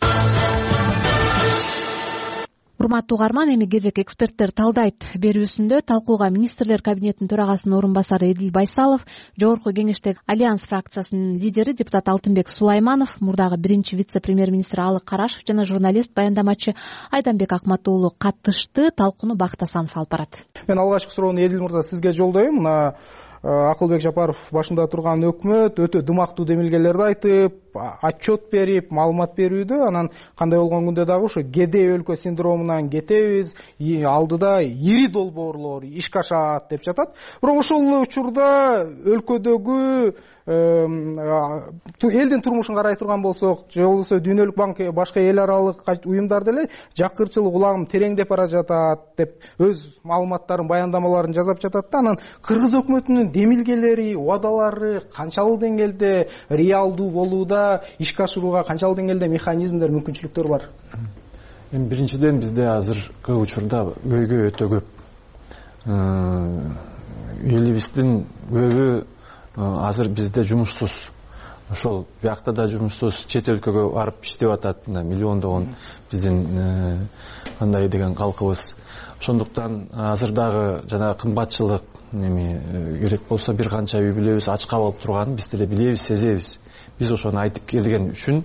Урматтуу угарман, эми кезек эксперттер талдайт берүүсүндө талкууга министрлер кабинетинин төрагасынын орун басары Эдил Байсалов, жогорку кеңештеги Альянс фракциясынын лидери депутат Алтынбек Сулайманов, мурдагы биринчи вице-премьер-министр Алык Карашев жана журналист баяндамачы Айданбек Акматуулу катышты. Талкууну Бакыт Асанов алып барат. Мен алгачкы суроону Эдил мырза сизге жолдойм. Мына Акылбек Жапаров башында турган өкмөт өтө дымактуу демилгелерди айтып, отчет берип, маалымат берүүдө, анан кандай болгон күндө дагы ушу кедей өлкө синдромунан кетебиз, алдыда ири долбоорлор ишке ашат деп жатат. Бирок ошол учурда өлкөдөгү элдин турмушун карай турган болсок, же болбосо Дүйнөлүк банк, башка эл аралык уюмдар деле жакырчылык улагым тереңдеп бара жатат деп өз маалыматтарын, баяндамаларын жасап жатат да. Анан Кыргыз өкмөтүнүн демилгелери, убадалары канчалык деңгээлде реалдуу болууда, ишке ашырууга канчалык деңгээлде механизмдер, мүмкүнчүлүктөр бар? Эми биринчиден бизде азыркы учурда көйгөй өтө көп. Элибиздин көбү азыр бизде жумушсуз. Ошол биякта да жумушсуз, чет өлкөгө барып иштеп атат, миллиондогон биздин кандай деген калкыбыз. Ошондуктан азыр дагы жана кымбатчылык керек болсо бир канча үй бүлөбүз ачка болуп турганын биз деле билебиз, сезебиз. Биз ошону айтып келген үчүн,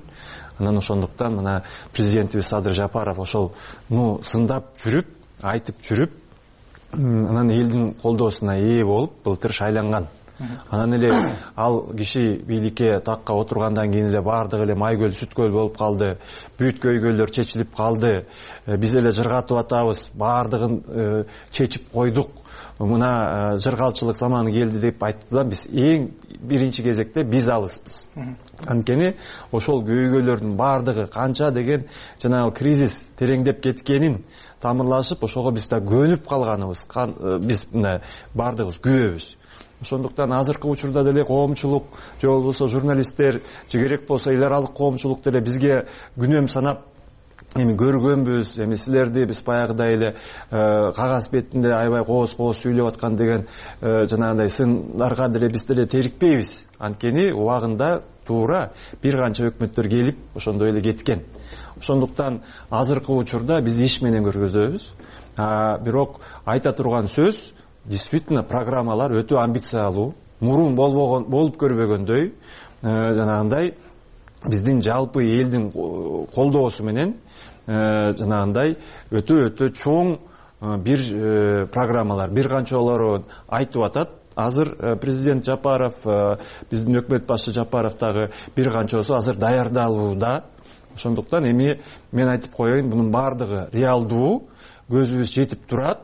анан ошондуктан мына президентибиз Садыр Жапаров ошол сындап жүрүп, айтып жүрүп, анан элдин колдоосуна ээ болуп былтыр шайланган. Анан эле ал киши бийликке, такка отургандан кийин эле бардыгы эле майкөл, сүткөл болуп калды. Бүт көйгөйлөр чечилип калды. Биз эле жыргатып атабыз, бардыгын чечип койдук. Мына жыргалчылык заманы келди деп айтып, биз эң биринчи кезекте биз алыспыз. Анткени ошол көйгөйлөрдүн бардыгы канча деген жанагы кризис тереңдеп кеткенин тамырлашып, ошого биз да көнүп калганыбыз, биз мына бардыгыбыз күбөбүз. Ошондуктан азыркы учурда деле коомчулук, же болбосо журналисттер, же керек болсо эл аралык коомчулук деле бизге күнөм санап эми көргөнбүз, эми силерди биз баягыдай эле кагаз бетинде аябай кооз сүйлөп аткан деген жанагындай сындарга деле биз деле терикпейбиз. Анткени убагында туура бир канча өкмөттөр келип ошондой эле кеткен. Ошондуктан азыркы учурда биз иш менен көргөзөбүз. Бирок айта турган сөз, действительно программалар өтө амбициялуу, мурун болуп көрбөгөндөй, жанагындай биздин жалпы элдин колдоосу менен жанагындай өтө чоң бир программалар, бир канчаларын айтып атат. Азыр президент Жапаров, биздин өкмөт башчы Жапаров дагы бир канчасы азыр даярдалууда. Ошондуктан эми мен айтып коеюн, бунун бардыгы реалдуу, көзүбүз жетип турат.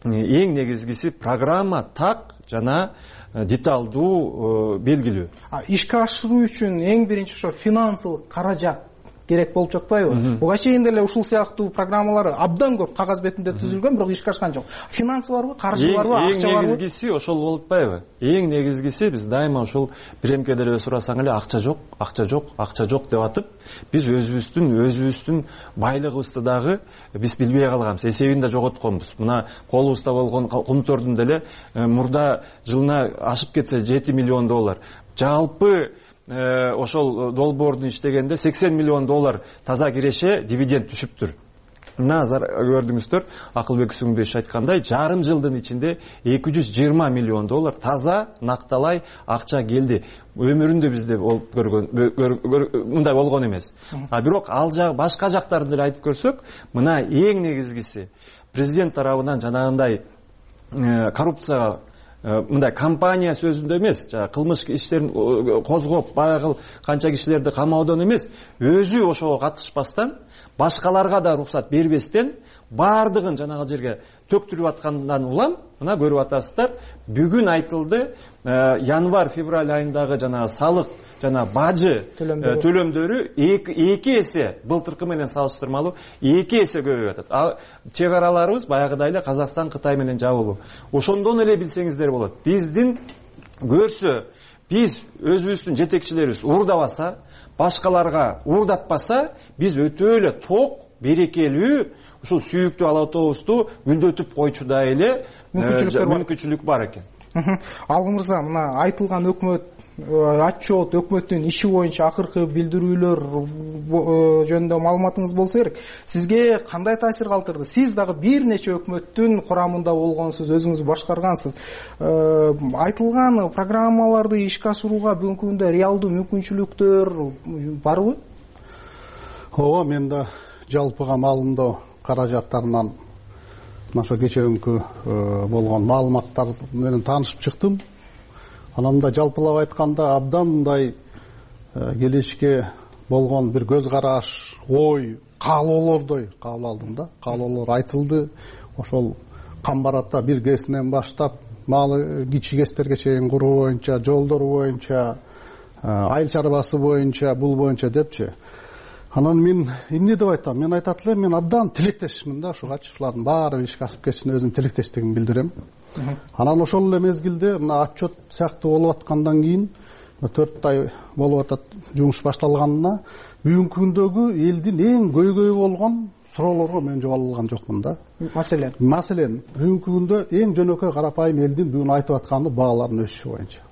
Эң негизгиси программа так жана деталдуу белгилүү. Ишке ашыруу үчүн эң биринчи ошо финансылык каражат керек болуп жатпайбы? Буга чейин деле ушул сыяктуу программалар абдан көп кагаз бетинде түзүлгөн, бирок ишке ашкан жок. Финансы барбы, каржы барбы, акча барбы? Эң негизгиси ошол болуп атпайбы? Эң негизгиси биз дайыма ушул биремке деле сурасаң эле акча жок, акча жок, акча жок деп атып, биз өзүбүздүн байлыгыбызды дагы биз билбей калганбыз, эсебин да жоготконбуз. Мына колубузда болгон кумтордун деле мурда жылына ашып кетсе $7 миллион. Жалпы ошол долбоордун иштегенде $80 миллион таза киреше дивиденд түшүптүр. Мына көрдүңүздөр, Акылбек Сүңбеш айткандай, жарым жылдын ичинде $220 миллион таза накталай акча келди. Өмүрүндө бизде болуп көргөн мындай болгон эмес. Бирок ал башка жактарын деле айтып көрсөк, мына эң негизгиси президент тарабынан жанагындай коррупцияга мындай компания сөзүндө эмес, кылмыш иштерин козгоп, баягы канча кишилерди камаудон эмес, өзү ошого катышпастан, башкаларга да уруксат бербестен, баардыгын жанагы жерге төктүрүп аткандан улам, мына көрүп атасыздар, бүгүн айтылды, январь-февраль айындагы жанагы салык жана бажы төлөмдөрү 2 эсе былтыркы менен салыштырмалуу 2 эсе көбөйүп атат. Чек араларыбыз баягыдай эле Казакстан, Кытай менен жабылуу. Ошондон эле билсеңиздер болот. Биздин көрсө, биз өзүбүздүн жетекчилерибиз уурдабаса, башкаларга уурдатпаса, биз өтө эле ток, берекелүү, ушул сүйүктүү ала отобусту гүлдөтүп койчудай эле мүмкүнчүлүк бар экен. Алгы мырза, мына айтылган өкмөт отчет, өкмөттүн иши боюнча акыркы билдирүүлөр жөнүндө маалыматыңыз болсо керек. Сизге кандай таасир калтырды? Сиз дагы бир нече өкмөттүн курамында болгонсуз, өзүңүз башкаргансыз. Айтылган программаларды ишке ашырууга бүгүнкү күндө реалдуу мүмкүнчүлүктөр барбы? Ооба, мен да жалпыга маалымдоо каражаттарынан ошо кечээкүнкү болгон маалыматтар менен таанышып чыктым. Анан да жалпылап айтканда абдан мындай келечекке болгон бир көз караш, ой, каалоолордой кабыл алдым да. Каалоолор айтылды. Ошол камбаратта бир кесинен баштап, малы кичи кестерге чейин куруу боюнча, жолдор боюнча, айыл чарбасы боюнча, бул боюнча депчи. Анан мен эмне деп айтам? Мен айтат элем, мен абдан тилектешмин да, ошо катышуулардын баары ишке ашып кетишине өзүм тилектештигимди билдирем. Анан ошол эле мезгилде мына отчет сыяктуу болуп аткандан кийин 4 ай болуп атат жумуш башталганына, бүгүнкү күндөгү элдин эң көйгөйү болгон суроолорго мен жооп ала алган жокмун да. Маселен, бүгүнкү күндө эң жөнөкөй карапайым элдин бүгүн айтып атканы баалардын өсүшү боюнча.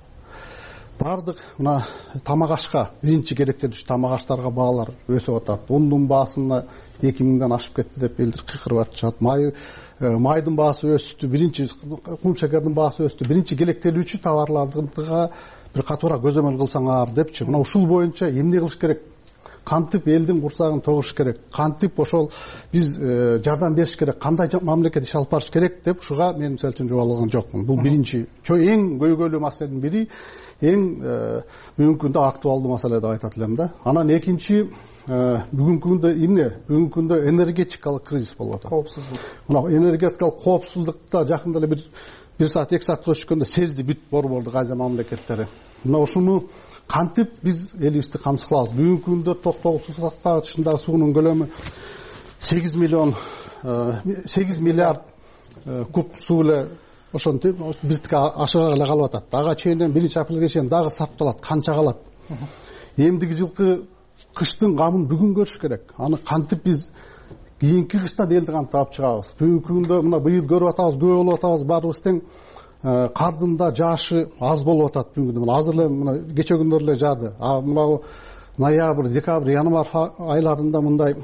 Бардык мына тамак ашка, биринчи керектелүүчү тамак аштарга баалар өсүп атат. Ундун баасына 2000ден ашып кетти деп элдер кыйкырып атышат. Майдын баасы өстү, биринчи кум шекердин баасы өстү, биринчи керектелүүчү товарларга бир катуура көзөмөл кылсаңар депчи. Мына ушул боюнча эмне кылыш керек? Кантип элдин курсагын тогуш керек? Кантип ошол биз жардам бериш керек? Кандай мамлекет иш алып барыш керек деп ушуга мен мисалы үчүн жооп алган жокмун. Бул биринчи, эң көйгөйлүү маселенин бири, эң бүгүнкү күндө актуалдуу маселе деп айтат элем да. Анан экинчи, бүгүнкү күндө эмне? Бүгүнкү күндө энергетикалык кризис болуп атат. Коопсуздук. Мына энергетикалык коопсуздукта жакында эле бир саат 2 саат өтүшкөндө сезди бүт борбордук Азия мамлекеттери. Мына ушуну кантип биз элибизди камсыз кылабыз? Бүгүнкү күндө токтогул суу сактагычындагы суунун көлөмү 8 миллиард куб суу эле ошентип биртикке ашыга эле калып атат. Ага чейин 1-апрелге чейин дагы сапталат, канча калат? Эмдиги жылкы кыштын камын бүгүн көрүш керек. Аны кантип биз кийинки кыштан элди кантип алып чыгабыз? Бүгүнкү күндө мына быйыл көрүп атабыз, күбө болуп атабыз, баарыбыз тең. Кардын да жаашы аз болуп атат бүгүн. Мына азыр эле мына кече күндөр эле жаады. Мына ноябрь, декабрь, январь айларында мындай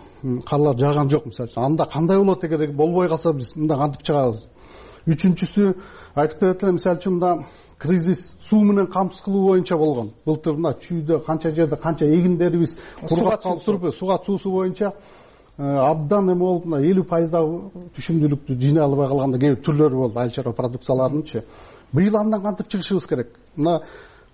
карлар жааган жок мисалы үчүн. Анда кандай болот эгер болбой калса биз мында кантип чыгабыз? Үчүнчүсү айтып берет элем, мисалы үчүн мында кризис суу менен камсыз кылуу боюнча болгон. Былтыр мына чүйдө канча жерде канча эгиндерибиз кургап калып туруп, суга суусу боюнча абдан эме болуп, мына 50% түшүмдүүлүктү жыйнай албай калганда кээ бир түрлөрү болду, айыл чарба продукцияларынынчы. Быйыл андан кантип чыгышыбыз керек? Мына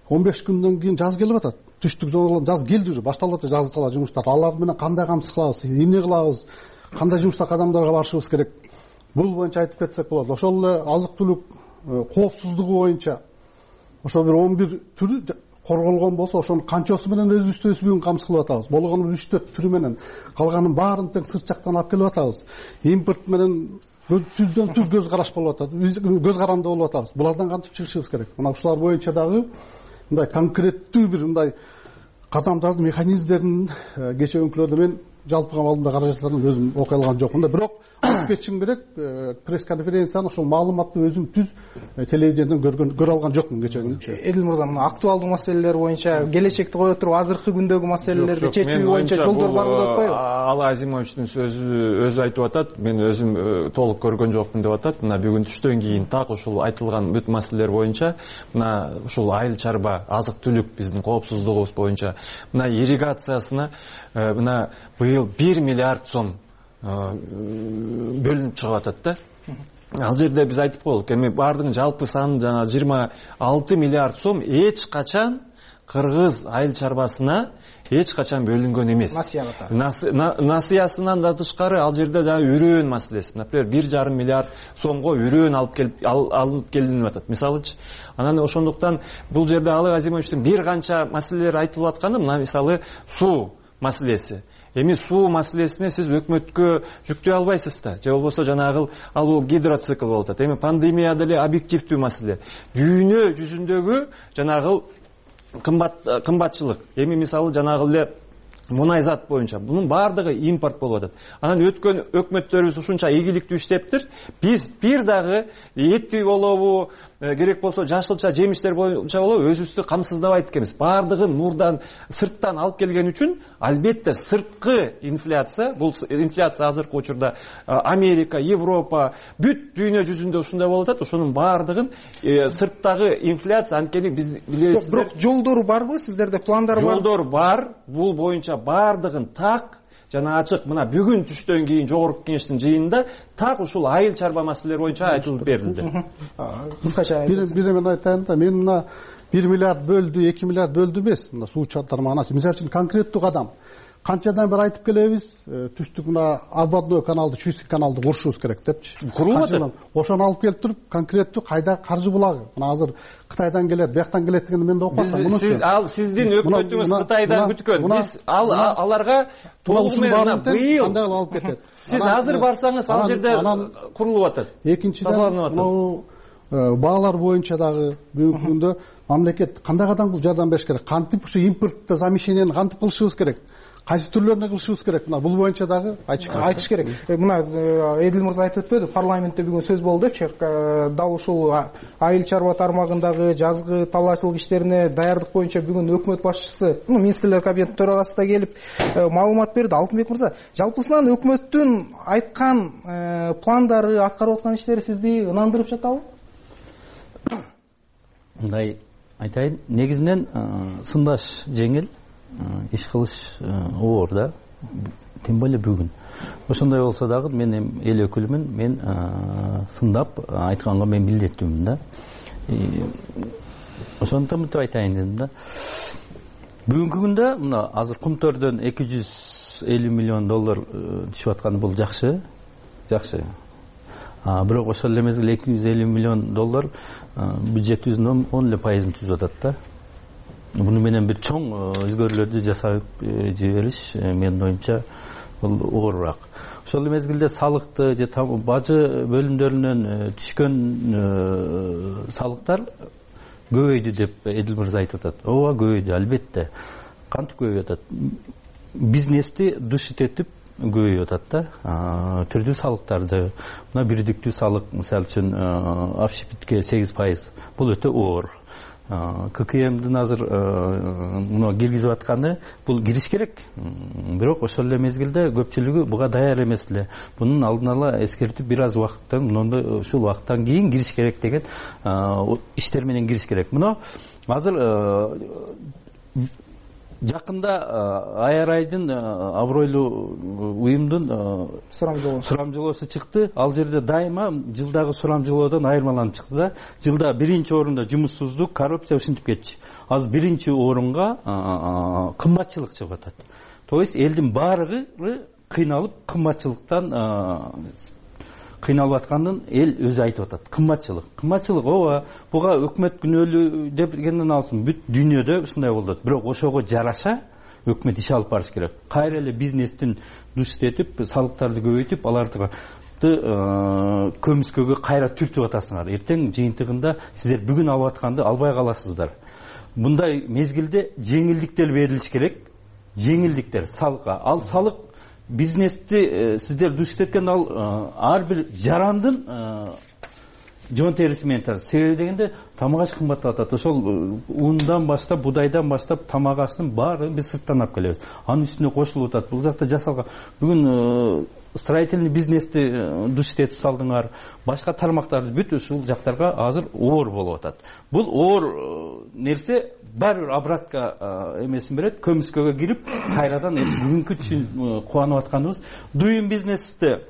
15 күндөн кийин жаз келип атат. Түштүк зоналар жаз келди уже, башталып атат жаз кала жумуштар. Алар менен кандай камсыз кылабыз? Эмне кылабыз? Кандай жумушта кадамдарга барышыбыз керек? Бул боюнча айтып кетсек болот. Ошол эле азык түлүк коопсуздугу боюнча ошо бир 11 түрү корголгон болсо ошонун канчасы менен өзүбүздү бүгүн камсыз кылып атабыз. Болгону 3-4 түрү менен, калганын баарын тең сырт жактан алып келип атабыз. Импорт менен түздөн түз көз караш болуп атат. Көз каранды болуп атабыз. Булардан кантип чыгышыбыз керек? Мына ушулар боюнча дагы мындай конкреттүү бир мындай кадамдардын механизмдерин кечээ өңкүлөрдө мен жалпыга алдымда каражаттарын өзүм окуй алган жокмун да, бирок алып кетишим керек. Пресс-конференцияны ошол маалыматты өзүм түз телевидениеден көрө алган жокмун кечээ күнү. Эдил мырза, мына актуалдуу маселелер боюнча келечекти кое туруп азыркы күндөгү маселелерди чечүү боюнча жолдор барбы деп атпайбы? Алы Азимовичтин өзү айтып атат, мен өзүм толук көргөн жокмун деп атат. Мына бүгүн түштөн кийин так ушул айтылган бүт маселелер боюнча, мына ушул айыл чарба, азык-түлүк биздин коопсуздугубуз боюнча, мына ирригациясына мына быйыл 1 миллиард сом бөлүнүп чыгып атат да. Ал жерде биз айтып койдук, эми баардыгын жалпы саны жана 26 миллиард сом эч качан кыргыз айыл чарбасына эч качан бөлүнгөн эмес. Насыясынан да тышкары ал жерде жана үрөөн маселеси. Например, 1,5 миллиард сомго үрөөн алып келинип атат. Мисалычы, анан ошондуктан бул жерде Алы Азимовичтин бир канча маселелер айтылып атканы, мына мисалы суу маселеси. Эми суу маселесине сиз өкмөткө жүктөй албайсыз да, же болбосо жанагы ал гидроцикл болуп атат. Эми пандемия деле объективдүү маселе. Дүйнө жүзүндөгү жанагы кымбатчылык. Эми мисалы жанагы эле мунай зат боюнча бунун баардыгы импорт болуп атат. Анан өткөн өкмөттөрүбүз ушунча ийгиликтүү иштептир. Биз бир дагы эти болобу, керек болсо жашылча жемиштер боюнча болобу өзүбүздү камсыздабайт экенбиз. Баардыгын мурдан сырттан алып келген үчүн албетте сырткы инфляция, бул инфляция азыркы учурда Америка, Европа, бүт дүйнө жүзүндө ушундай болуп атат. Ошонун баардыгын сырттагы инфляция, анткени биз билесиздер. Бирок жолдор барбы? Сиздерде пландар бар? Жолдор бар. Бул боюнча баардыгын так жана ачык мына бүгүн түштөн кийин жогорку кеңештин жыйынында так ушул айыл чарба маселелери боюнча айтылып берилди. Кыскача бир мен айтайын да, мен мына 1 миллиард бөлдү, 2 миллиард бөлдү эмес. Мына суу тармагына мисалы үчүн конкреттүү кадам. Канчадан бери айтып келебиз, түштүк мына обводной каналды, Чуйский каналды курушубуз керек депчи. Курулуп атат. Ошону алып келип туруп, конкреттүү кайда каржы булагы. Мына азыр Кытайдан келет, бияктан келет дегенди мен да окупатам. Сиздин өкмөтүңүз Кытайдан күткөн. Биз аларга толугу менен быйыл кандай алып кетет. Сиз азыр барсаңыз ал жерде курулуп атат. Экинчиден, баалар боюнча дагы бүгүнкү күндө мамлекет кандай кадам бул жардам бериш керек? Кантип ушу импортто замещениени кантип кылышыбыз керек? Кайсы түрлөрүнө кылышыбыз керек? Мына бул боюнча дагы айтыш керек. Мына Эдил мырза айтып өтпөдү, парламентте бүгүн сөз болду депчи. Дал ушул айыл чарба тармагындагы жазгы талаачылык иштерине даярдык боюнча бүгүн өкмөт башчысы, министрлер кабинетинин төрагасы да келип маалымат берди. Алтынбек мырза, жалпысынан өкмөттүн айткан пландары, аткарып аткан иштери сизди ынандырып жатабы? Мындай айтайын, негизинен сындаш жеңил, иш кылыш оор да, тем более бүгүн. Ошондой болсо дагы мен эл өкүлүмүн, мен сындап айтканга мен милдеттүүмүн да. Ошондуктан мынтип айтайын дедим да. Бүгүнкү күндө мына азыр кумтөрдөн 250 миллион доллар түшүп атканы бул жакшы. Бирок ошол эле мезгилде 250 миллион доллар бюджетибиздин 10% түзүп атат да. Буну менен бир чоң өзгөрүүлөрдү жасап жибериш менин оюмча бул оорураак. Ошол эле мезгилде салыкты же бажы бөлүмдөрүнөн түшкөн салыктар көбөйдү деп Эдил мырза айтып атат. Ооба, көбөйдү, албетте. Кантип көбөйүп атат? Бизнести душит этип көбөйүп атат да. Түрдүү салыктарды, мына бирдиктүү салык, мисалы үчүн общепитке 8%. Бул өтө оор. ККМдин азыр муну киргизип атканы бул кириш керек. Бирок ошол эле мезгилде көпчүлүгү буга даяр эмес эле. Бунун алдын ала эскертип бир аз убакыттан, ушул убакыттан кийин кириш керек деген иштер менен кириш керек. Муну азыр жакында Аярайдын абройлуу уюмдун сурамжылоосу чыкты. Ал жерде дайыма жылдагы сурамжылоодон айырмаланып чыкты да. Жылда биринчи орунда жумуссуздук, коррупция ушинтип кетчү. Азыр биринчи орунга кымбатчылык чыгып атат. То есть элдин баардыгы кыйналып кымбатчылыктан кыйналып атканын эл өзү айтып атат. Кымбатчылык ооба, буга өкмөт күнөөлүү дегенден алсын, бүт дүйнөдө ушундай болот. Бирок ошого жараша өкмөт иш алып барыш керек. Кайра эле бизнестин душтетип, салыктарды көбөйтүп, аларды көмүскөгө кайра түртүп атасыңар. Эртең жыйынтыгында сиздер бүгүн алып атканды албай каласыздар. Мындай мезгилде жеңилдиктер берилиш керек. Жеңилдиктер салыкка. Ал салык бизнести сиздер душтеткен ар бир жарандын жон териси менен тарат. Себеби дегенде тамак аш кымбаттап атат. Ошол ундан баштап, будайдан баштап тамак аштын баарын биз сырттан алып келебиз. Анын үстүнө кошулуп атат. Бул жакта жасалган бүгүн строительный бизнести душтетип салдыңар, башка тармактарды бүт ушул жактарга азыр оор болуп атат. Бул оор нерсе баары бир обратка эмесин берет, көмүскөгө кирип, кайрадан бүгүнкү түшүн кубанып атканыбыз. Дуюм бизнесте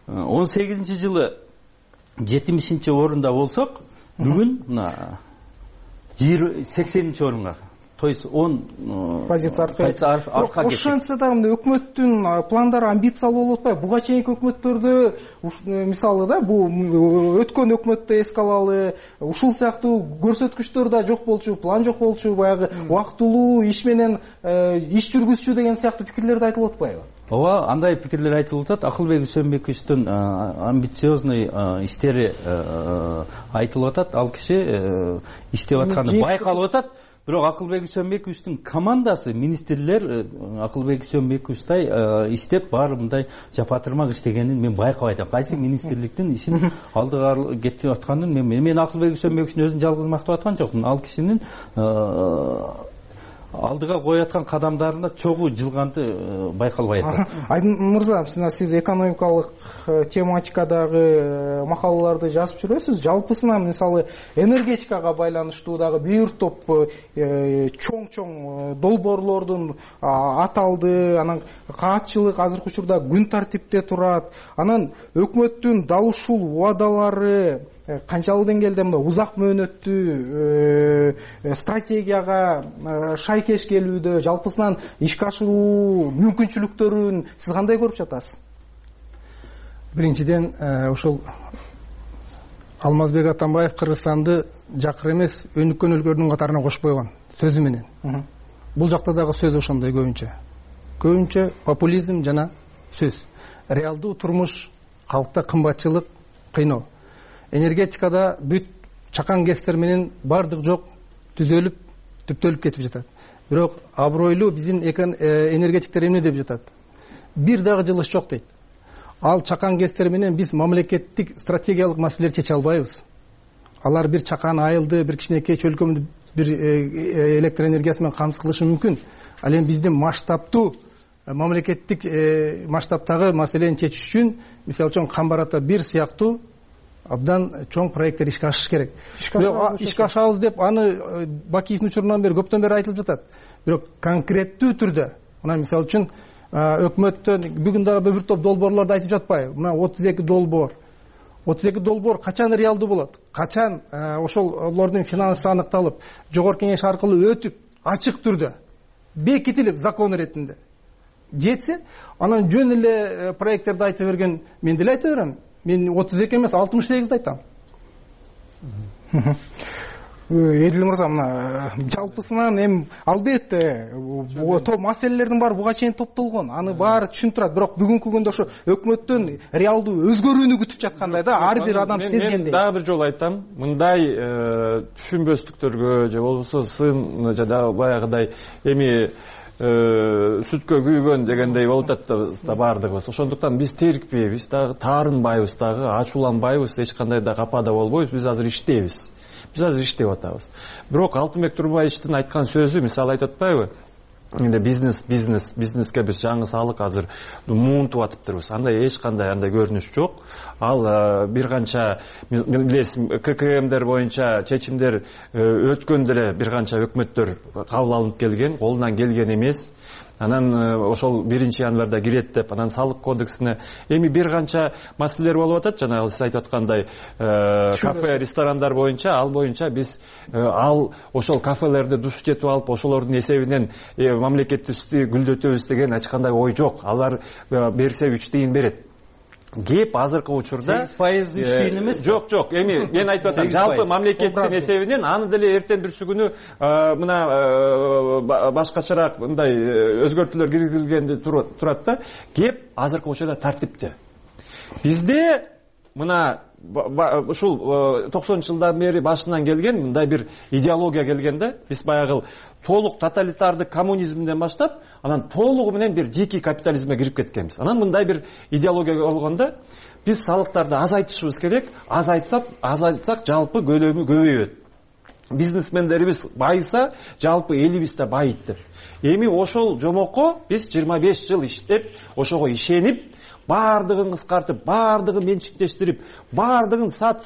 18-жылы 70-орунда болсок, бүгүн 80-орунга, то есть 10 позиция артка кетти. Ошентсе дагы өкмөттүн пландары амбициялуу болуп атпайбы? Буга чейинки өкмөттөрдө мисалы да, бул өткөн өкмөттү эске алалы, ушул сыяктуу көрсөткүчтөр да жок болчу, план жок болчу, баягы убактылуу иш менен иш жүргүзчү деген сыяктуу пикирлер да айтылып атпайбы? Ооба, андай пикирлер айтылып атат. Акылбек Үсөнбековичтин амбициозный иштери айтылып атат. Ал киши иштеп атканы байкалып атат. Бирок Акылбек Үсөнбековичтин командасы, министрлер Акылбек Үсөнбековичтай иштеп, баары мындай жапатырмак иштегенин мен байкабай атам. Кайсы министрликтин ишин алдыга кетип атканын мен Акылбек Үсөнбековичтин өзүн жалгыз мактап аткан жокмун. Ал кишинин алдыга коюп аткан кадамдарында чогуу жылганды байкалбай атат. Айдын мырза, сиз экономикалык тематикадагы макалаларды жазып жүрөсүз. Жалпысынан мисалы энергетикага байланыштуу дагы бир топ чоң долбоорлордун аталды, анан каатчылык азыркы учурда күн тартипте турат. Анан өкмөттүн дал ушул убадалары канчалык деңгээлде мына узак мөөнөттүү стратегияга шайкеш келүүдө, жалпысынан ишке ашыруу мүмкүнчүлүктөрүн сиз кандай көрүп жатасыз? Биринчиден, ошол Алмазбек Атамбаев Кыргызстанды жакыр эмес, өнүккөн өлкөлөрдүн катарына кошуп койгон сөзү менен. Бул жакта дагы сөз ошондой көбүнчө популизм жана сөз. Реалдуу турмуш, калкта кымбатчылык, кыйноо. Энергетикада бүт чакан кестер менен бардык жок түзөлүп, түптөлүп кетип жатат. Бирок абройлуу биздин энергетиктер эмне деп жатат? Бир дагы жылыш жок дейт. Ал чакан кестер менен биз мамлекеттик стратегиялык маселелерди чече албайбыз. Алар бир чакан айылды, бир кичинекей чөлкөмдү бир электр энергиясы менен камсыз кылышы мүмкүн. Ал эми биздин масштабтуу мамлекеттик масштабтагы маселени чечиш үчүн, мисалы үчүн Камбар-Ата 1 сыяктуу абдан чоң проекттер ишке ашыш керек. Ишке ашабыз деп аны Бакиевдин учурунан бери көптөн бери айтылып жатат. Бирок конкреттүү түрдө, мына мисалы үчүн өкмөттөн бүгүн дагы бир топ долбоорлорду айтып жатпайбы? Мына 32 долбоор. 32 долбоор качан реалдуу болот? Качан ошолордун финансы аныкталып, жогорку кеңеш аркылуу өтүп, ачык түрдө бекитилип закон иретинде жетсе, анан жөн эле проекттерди айтып берген мен деле айта берем. Мен 32 эмес, 68 айтам. Эдил мырза, мына жалпысынан эми албетте топ маселелердин баары буга чейин топтолгон. Аны баары түшүнүп турат. Бирок бүгүнкү күндө ошо өкмөттүн реалдуу өзгөрүүнү күтүп жаткандай да, ар бир адам сезгендей. Мен дагы бир жолу айтам, мындай түшүнбөстүктөргө же болбосо сын жада баягыдай эми сүткө күйгөн дегендей болуп атат да баардыгыбыз. Ошондуктан биз терикпейбиз дагы, таарынбайбыз дагы, ачууланбайбыз, эч кандай да капада болбойбуз. Биз азыр иштейбиз. Биз азыр иштеп атабыз. Бирок Алтынбек Турбаевичтин айткан сөзү, мисалы айтып атпайбы? Энди бизнеске биз жаңы салык азыр муунтуп атыптырбыз. Андай эч кандай андай көрүнүш жок. Ал бир канча ККМдер боюнча чечимдер өткөндө эле бир канча өкмөттөр кабыл алынып келген, колунан келген эмес. Анан ошол 1-январда кирет деп, анан салык кодексине эми бир канча маселелер болуп атат. Жана сиз айтып аткандай кафе, ресторандар боюнча, ал боюнча биз ошол кафелерди душтетип алып, ошолордун эсебинен мамлекеттибизди гүлдөтөбүз деген эч кандай ой жок. Алар берсе 3 тыйын берет. кеп азыркы учурда 8% үчтейин эмес. Жок, эми мен айтып атам, жалпы мамлекеттин эсебинен аны деле эртең бүрсү күнү мына башкачараак мындай өзгөртүүлөр киргизилгенде турат да. Кеп азыркы учурда тартипте. Бизде мына ушул 90-жылдан бери башынан келген мындай бир идеология келген да. Биз баягы толук тоталитардык коммунизмден баштап, анан толугу менен бир дикий капитализмге кирип кеткенбиз. Анан мындай бир идеология болгондо биз салыктарды азайтышыбыз керек. Азайтсак жалпы көлөмү көбөйөт. Бизнесмендерибиз байыса, жалпы элибиз да байыйт деп. Эми ошол жомокко биз 25 жыл иштеп, ошого ишенип, бардыгын кыскартып, бардыгын менчиктештирип, бардыгын сат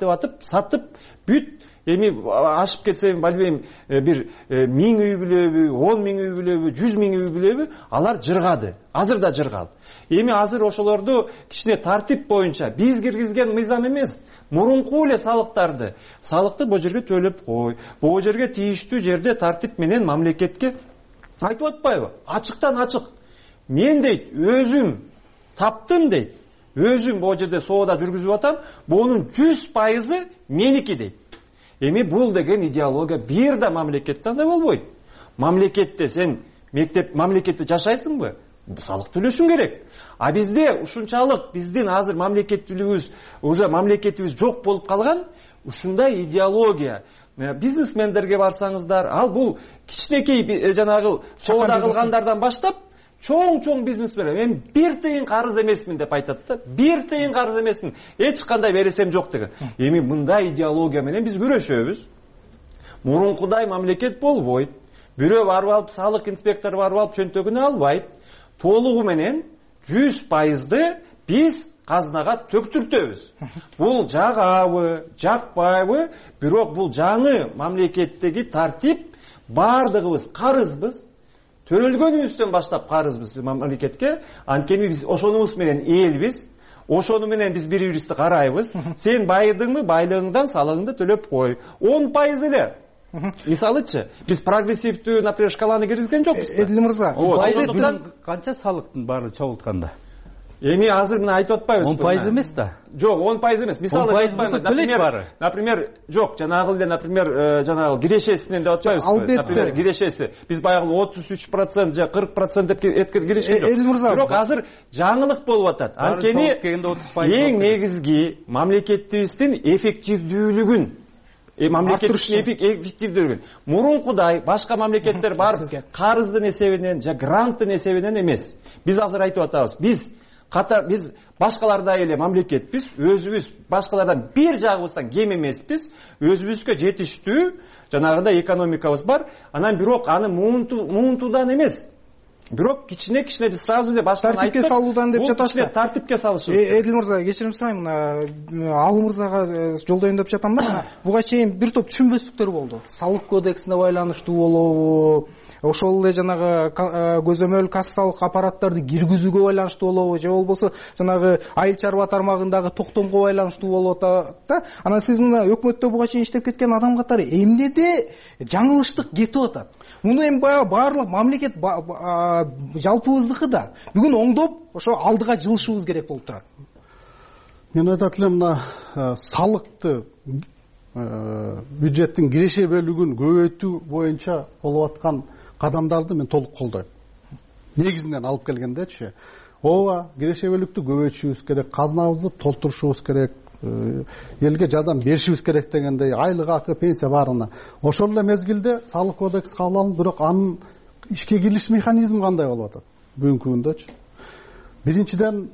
деп атып, сатып бүт. Эми ашып кетсе билбейм, бир 1000 үй бүлөбү, 10 000 үй бүлөбү, 100 000 үй бүлөбү, алар жыргады. Азыр да жыргал. Эми азыр ошолорду кичине тартип боюнча биз киргизген мыйзам эмес, мурунку эле салыкты бул жерге төлөп кой. Бул жерге тийиштүү жерде тартип менен мамлекетке айтып атпайбы? Ачыктан ачык. Мен дейт, өзүм таптым дейт. Өзүм бул жерде соода жүргүзүп атам, бунун 100% меники дейт. Эми бул деген идеология бир да мамлекетте андай болбойт. Мамлекетте сен мамлекетте жашайсыңбы? Салык төлөшүң керек. А бизде ушунчалык биздин азыр мамлекетибиз жок болуп калган ушундай идеология. Бизнесмендерге барсаңыздар, ал бул кичинекей жанагы соода кылгандардан баштап чоң бизнесмен, мен 1 тыйын карыз эмесмин деп айтат да. 1 тыйын карыз эмесмин, эч кандай бересем жок деген. Эми мындай идеология менен биз күрөшөбүз. Мурункудай мамлекет болбойт. Бирөө барып алып, салык инспектору барып алып чөнтөгүнө албайт. Толугу менен 100%ды биз казынага төктүртөбүз. Бул жагабы, жакпайбы, бирок бул жаңы мамлекеттеги тартип, бардыгыбыз карызбыз. Төрөлгөнүбүздөн баштап карызбыз мамлекетке. Анткени биз ошонубуз менен элбиз. Ошону менен биз бири-бирибизди карайбыз. Сен байыдыңбы, байлыгыңдан салыгыңды төлөп кой. 10% эле. Мисалычы, биз прогрессивдүү, например, шкаланы киргизген жокпуз. Эдил мырза, канча салыктын баары чогултканда? Эми азыр мына айтып атпайбыз. 10% эмес да. Жок, 10% эмес. Мисалы, например, жок, жанагы эле, например, жанагы кирешесинен деп атпайбызбы? Например, кирешеси. Биз баягы 33% же 40% деп киришкен жок. Эдил мырза, бирок азыр жаңылык болуп атат. Анткени эң негизги мамлекетибиздин эффективдүүлүгүн эффективдүүлүгүн мурункудай башка мамлекеттер барып карыздын эсебинен же гранттын эсебинен эмес. Биз азыр айтып атабыз. Биз башкалардай эле мамлекетпиз, өзүбүз башкалардан бир жагыбыздан кем эмеспиз, өзүбүзгө жетиштүү жанагындай экономикабыз бар. Анан бирок аны муунтуудан эмес, бирок кичине биз сразу эле баштан айттык. Тартипке салуудан деп жатасызбы? Тартипке салышыбыз. Эдил мырза, кечирим сурайм, Ал мырзага жолдоюн деп жатам да. Буга чейин бир топ түшүнбөстүктөр болду. Салык кодексине байланыштуу болобу, ошол эле жанагы көзөмөл кассалык аппараттарды киргизүүгө байланыштуу болобу, же болбосо жанагы айыл чарба тармагындагы токтомго байланыштуу болуп атат да. Анан сиз мына өкмөттө буга чейин иштеп кеткен адам катары эмнеде жаңылыштык кетип атат? Муну эми баардык мамлекет жалпыбыздыкы да. Бүгүн оңдоп, ошо алдыга жылышыбыз керек болуп турат. Мен айтат элем, мына салыкты бюджеттин киреше бөлүгүн көбөйтүү боюнча болуп аткан кадамдарды мен толук колдойм. Негизинен алып келгендечи, ооба, киреше бөлүктү көбөйтүшүбүз керек, казынабызды толтурушубуз керек, элге жардам беришибиз керек дегендей, айлык акы, пенсия баарына. Ошол эле мезгилде салык кодекс кабыл алынып, бирок анын ишке кирилиш механизми кандай болуп атат бүгүнкү күндөчү? Биринчиден,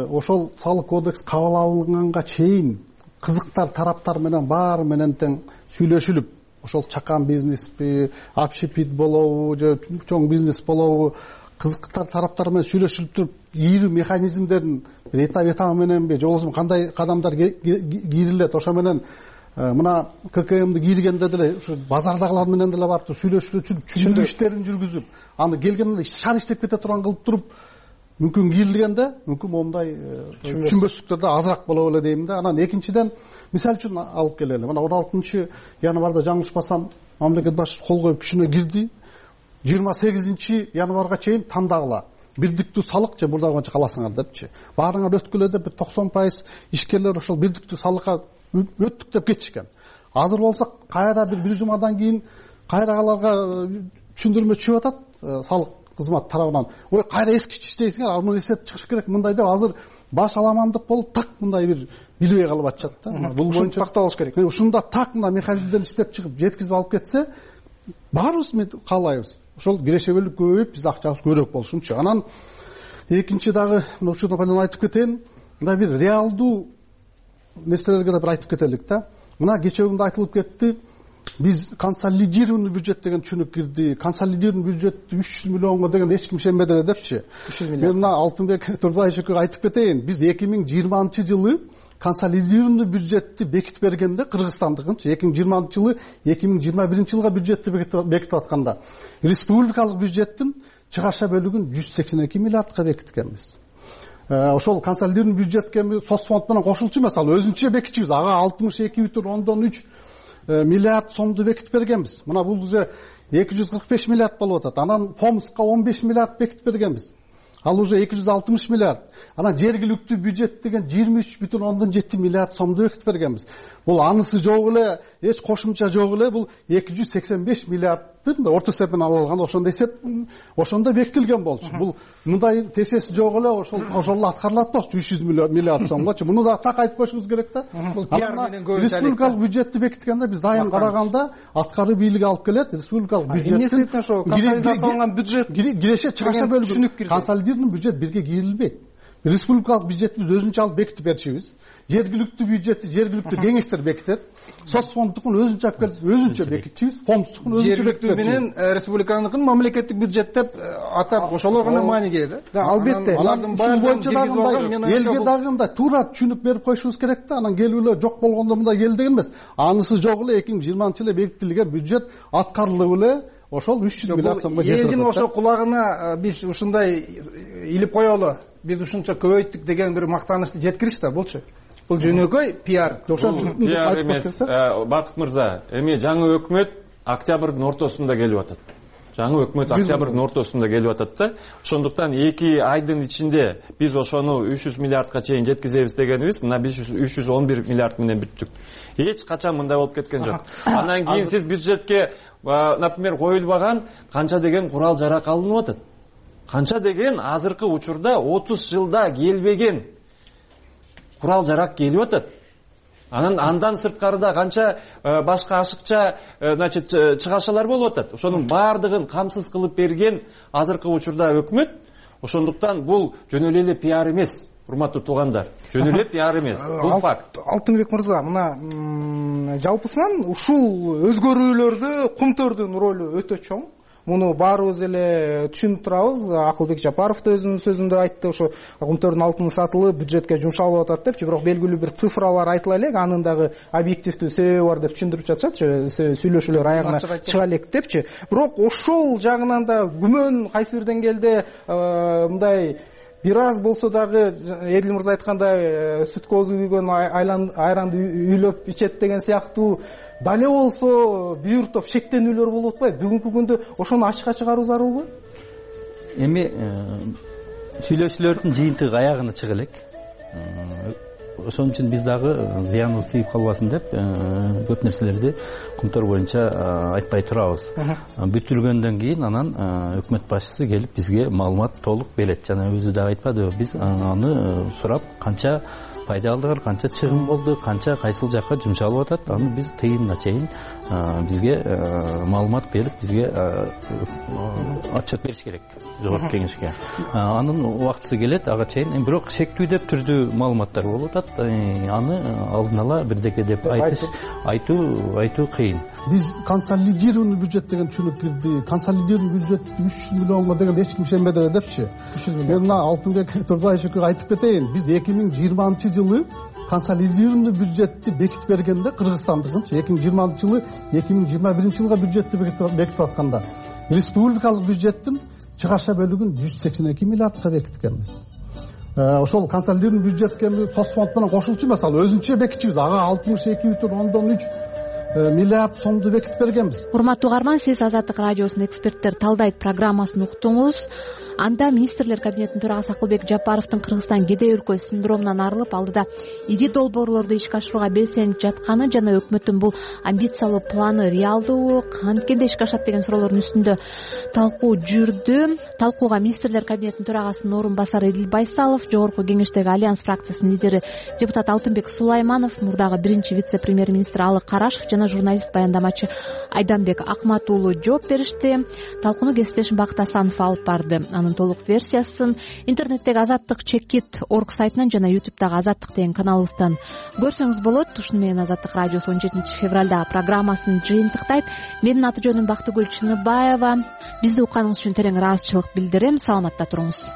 ошол салык кодекс кабыл алынганга чейин кызыктар тараптар менен баары менен тең сүйлөшүлүп, ошол чакан бизнеспи, общепит болобу, же чоң бизнес болобу, кызыктар тараптар менен сүйлөшүлүп туруп, ийрүү механизмдерин этап мененби, же болбосо кандай кадамдар кийрилет, ошо менен мына ККМди кийргенде деле ушу базардагылар менен деле барып сүйлөшүп, түшүндүрүү иштерин жүргүзүп, аны келгенде шаар иштеп кете турган кылып туруп, мүмкүн кийрилгенде, мүмкүн момундай түшүнбөстүктөр да азыраак боло эле дейм да. Анан экинчиден, мисал үчүн алып келели. Мына 16 январда жаңылышпасам, мамлекет башчысы кол коюп күчүнө кирди. 28 январга чейин тандагыла. бирдиктүү салык же мурдагы боюнча каласыңар депчи, баарыңар өткүлө деп 90% ишкерлер ошол бирдиктүү салыкка өттүк деп кетишкен. Азыр болсо кайра бир жумадан кийин кайра аларга түшүндүрмө түшүп атат салык кызмат тарабынан. Ой, кайра эскиче иштейсиңер, ал муну эсеп чыгыш керек мындай деп азыр баш аламандык болуп так мындай бир билбей калып атышат да. Бул боюнча такталыш керек. Ушунда так мына механизмден иштеп чыгып жеткизип алып кетсе, баарыбыз каалайбыз. Ошол кирешебелик көбөйүп, биз акчабыз көбүрөөк болушунчу. Анан экинчи дагы учурдан пайдаланып айтып кетейин. Мындай бир реалдуу нерселерге да бир айтып кетелик да. Мына кечээ күндө айтылып кетти. Биз консолидированный бюджет деген түшүнүк кирди. Консолидированный бюджет 300 миллионго деген эч ким ишенбеди эле депчи. Мен мына Алтынбек Турбаевич экөөгө айтып кетейин. Биз 2020-жылы консолидированный бюджетти бекитип бергенде Кыргызстандыкынчы 2020-жылы 2021-жылга бюджетти бекитип атканда республикалык бюджеттин чыгаша бөлүгүн 182 миллиардка бекиткенбиз. Ошол консолидированный бюджетке соцфонд менен кошулчу мисалы өзүнчө бекитчүбүз. Ага 62,3 миллиард сомду бекитип бергенбиз. Мына бул уже 245 миллиард болуп атат. Анан Фомска 15 миллиард бекитип бергенбиз. Ал уже 260 миллиард. Анан жергиликтүү бюджет деген 23,7 миллиард сомду бекитип бергенбиз. Бул анысы жок эле, эч кошумча жок эле, бул 285 миллиардтын орто эсебинен алынган, ошондо эсеп ошондо бекитилген болчу. Бул мындай тесеси жок эле, ошол аткарылат болчу 300 миллиард сомгочу. Муну да так айтып коюшубуз керек да. Бул пиар менен көбүнчө республикалык бюджетти бекиткенде биз дайым караганда аткаруу бийлиги алып келет. Республикалык бюджеттин эмне себептен ошо консолидацияланган бюджет киреше чыгаша бөлүгү консолидированный бюджет бирге кирилбейт. Республикалык бюджетти биз өзүнчө алып бекитип берчүбүз. Жергиликтүү бюджетти жергиликтүү кеңештер бекитет. Соцфонддукун өзүнчө алып келип өзүнчө бекитчүбүз. Фонддукун өзүнчө бекитет. Менен республиканыкын мамлекеттик бюджет деп атап ошолор гана мааниге да. Албетте. Алардын баардыгын элге дагы мындай туура түшүнүк берип коюшубуз керек да. Анан келип эле жок болгондо мындай келди деген эмес. Анысы жок эле 2020-жылы бекитилген бюджет аткарылып эле ошол 300 миллиард сомго жетет. Элдин ошо кулагына биз ушундай илип коелу. Биз ушунча көбөйттүк деген бир мактанычты жеткириш да булчу. Бул жөнөкөй пиар. Пиар эмес. Бакыт мырза, эми жаңы өкмөт октябрдын ортосунда келип атат. Жаңы өкмөт октябрдын ортосунда келип атат да. Ошондуктан 2 айдын ичинде биз ошону 300 миллиардка чейин жеткизебиз дегенибиз, мына биз 311 миллиард менен бүттүк. Эч качан мындай болуп кеткен жок. Андан кийин сиз бюджетке, например, коюлбаган канча деген курал жарак алынып атат. Канча деген азыркы учурда 30 жылда келбеген курал жарак келип атат. Андан сырткарыда канча башка ашыкча, значит, чыгашалар болуп атат. Ошонун баардыгын камсыз кылып берген азыркы учурда өкмөт. Ошондуктан бул жөн эле пиар эмес, урматтуу туугандар. Жөн эле пиар эмес. Бул факт. Алтынбек мырза, мына жалпысынан ушул өзгөрүүлөрдө кумтөрдүн ролу өтө чоң. Муну баарыбыз эле түшүнүп турабыз. Акылбек Жапаров да өзүнүн сөзүндө айтты, ошо кумтөрдүн алтын сатылып бюджетке жумшалып атат депчи, бирок белгилүү бир цифралар айтыла элек, анын дагы объективдүү себеби бар деп түшүндүрүп жатышат, сүйлөшүүлөр аягына чыга элек депчи. Бирок ошол жагынан да күмөн кайсы бир деңгээлде мындай бир аз болсо дагы Эдил мырза айткандай сүт козу күйгөн айранды үйлөп ичет деген сыяктуу дале болсо бир топ шектенүүлөр болуп атпайбы? Бүгүнкү күндө ошону ачыкка чыгаруу зарылбы? Эми сүйлөшүүлөрдүн жыйынтыгы аягына чыга элек. Ошон үчүн биз дагы зыяныбыз тийип калбасын деп көп нерселерди кумтөр боюнча айтпай турабыз. Бүтүлгөндөн кийин анан өкмөт башчысы келип бизге маалымат толук берет. Жана өзү да айтпадыбы, биз аны сурап канча пайда алдыгар, канча чыгым болду, канча кайсыл жакка жумшалып атат, аны биз тыйынына чейин бизге маалымат берип, бизге отчет бериш керек жогорку кеңешке. Анын убактысы келет, ага чейин. Бирок шектүүдө түрдүү маалыматтар болуп атат. Аны алдын ала бирдеке деп айтуу кыйын. Биз консолидированный бюджет деген түшүнүк кирди. Консолидированный бюджет 300 миллионго деген эч ким ишенбеди эле депчи. Мен мына Алтынбек Турбаевич экөөгө айтып кетейин. Биз 2020-жылы консолидированный бюджетти бекитип бергенде Кыргызстандыкынчы 2020-жылы 2021-жылга бюджетти бекитип атканда республикалык бюджеттин чыгаша бөлүгүн 182 миллиардка бекиткенбиз. Ошол консолидированный бюджетке соцфонд менен кошулчу мисалы өзүнчө бекитчүбүз. Ага 62,3 миллиард сомду бекитип бергенбиз. Урматтуу угарман, сиз Азаттык радиосунун эксперттер талдайт программасын уктуңуз. Анда министрлер кабинетинин төрагасы Акылбек Жапаровдун Кыргызстан кедей өлкө синдромунан арылып, алдыда ири долбоорлорду ишке ашырууга белсенип жатканы жана өкмөттүн бул амбициялуу планы реалдуубу, канткенде ишке ашат деген суроолордун үстүндө талкуу жүрдү. Талкууга министрлер кабинетинин төрагасынын орун басары Эдил Байсалов, Жогорку Кеңештеги Альянс фракциясынын лидери депутат Алтынбек Сулайманов, мурдагы биринчи вице-премьер-министр Алык Карашев жана журналист баяндамачы Айданбек Акмат уулу жооп беришти. Талкууну кесиптешим Бакыт Асанов алып барды. Анын толук версиясын интернеттеги Азаттык Чекит.org сайтынан жана YouTube'дагы Азаттык деген каналыбыздан көрсөңүз болот. Ушуну менен Азаттык радиосу 17 февралдагы программасын жыйынтыктайт. Менин аты жөнүм Бактыгүл Чыныбаева. Бизди укканыңыз үчүн терең ыраазычылык билдирем. Саламатта туруңуз.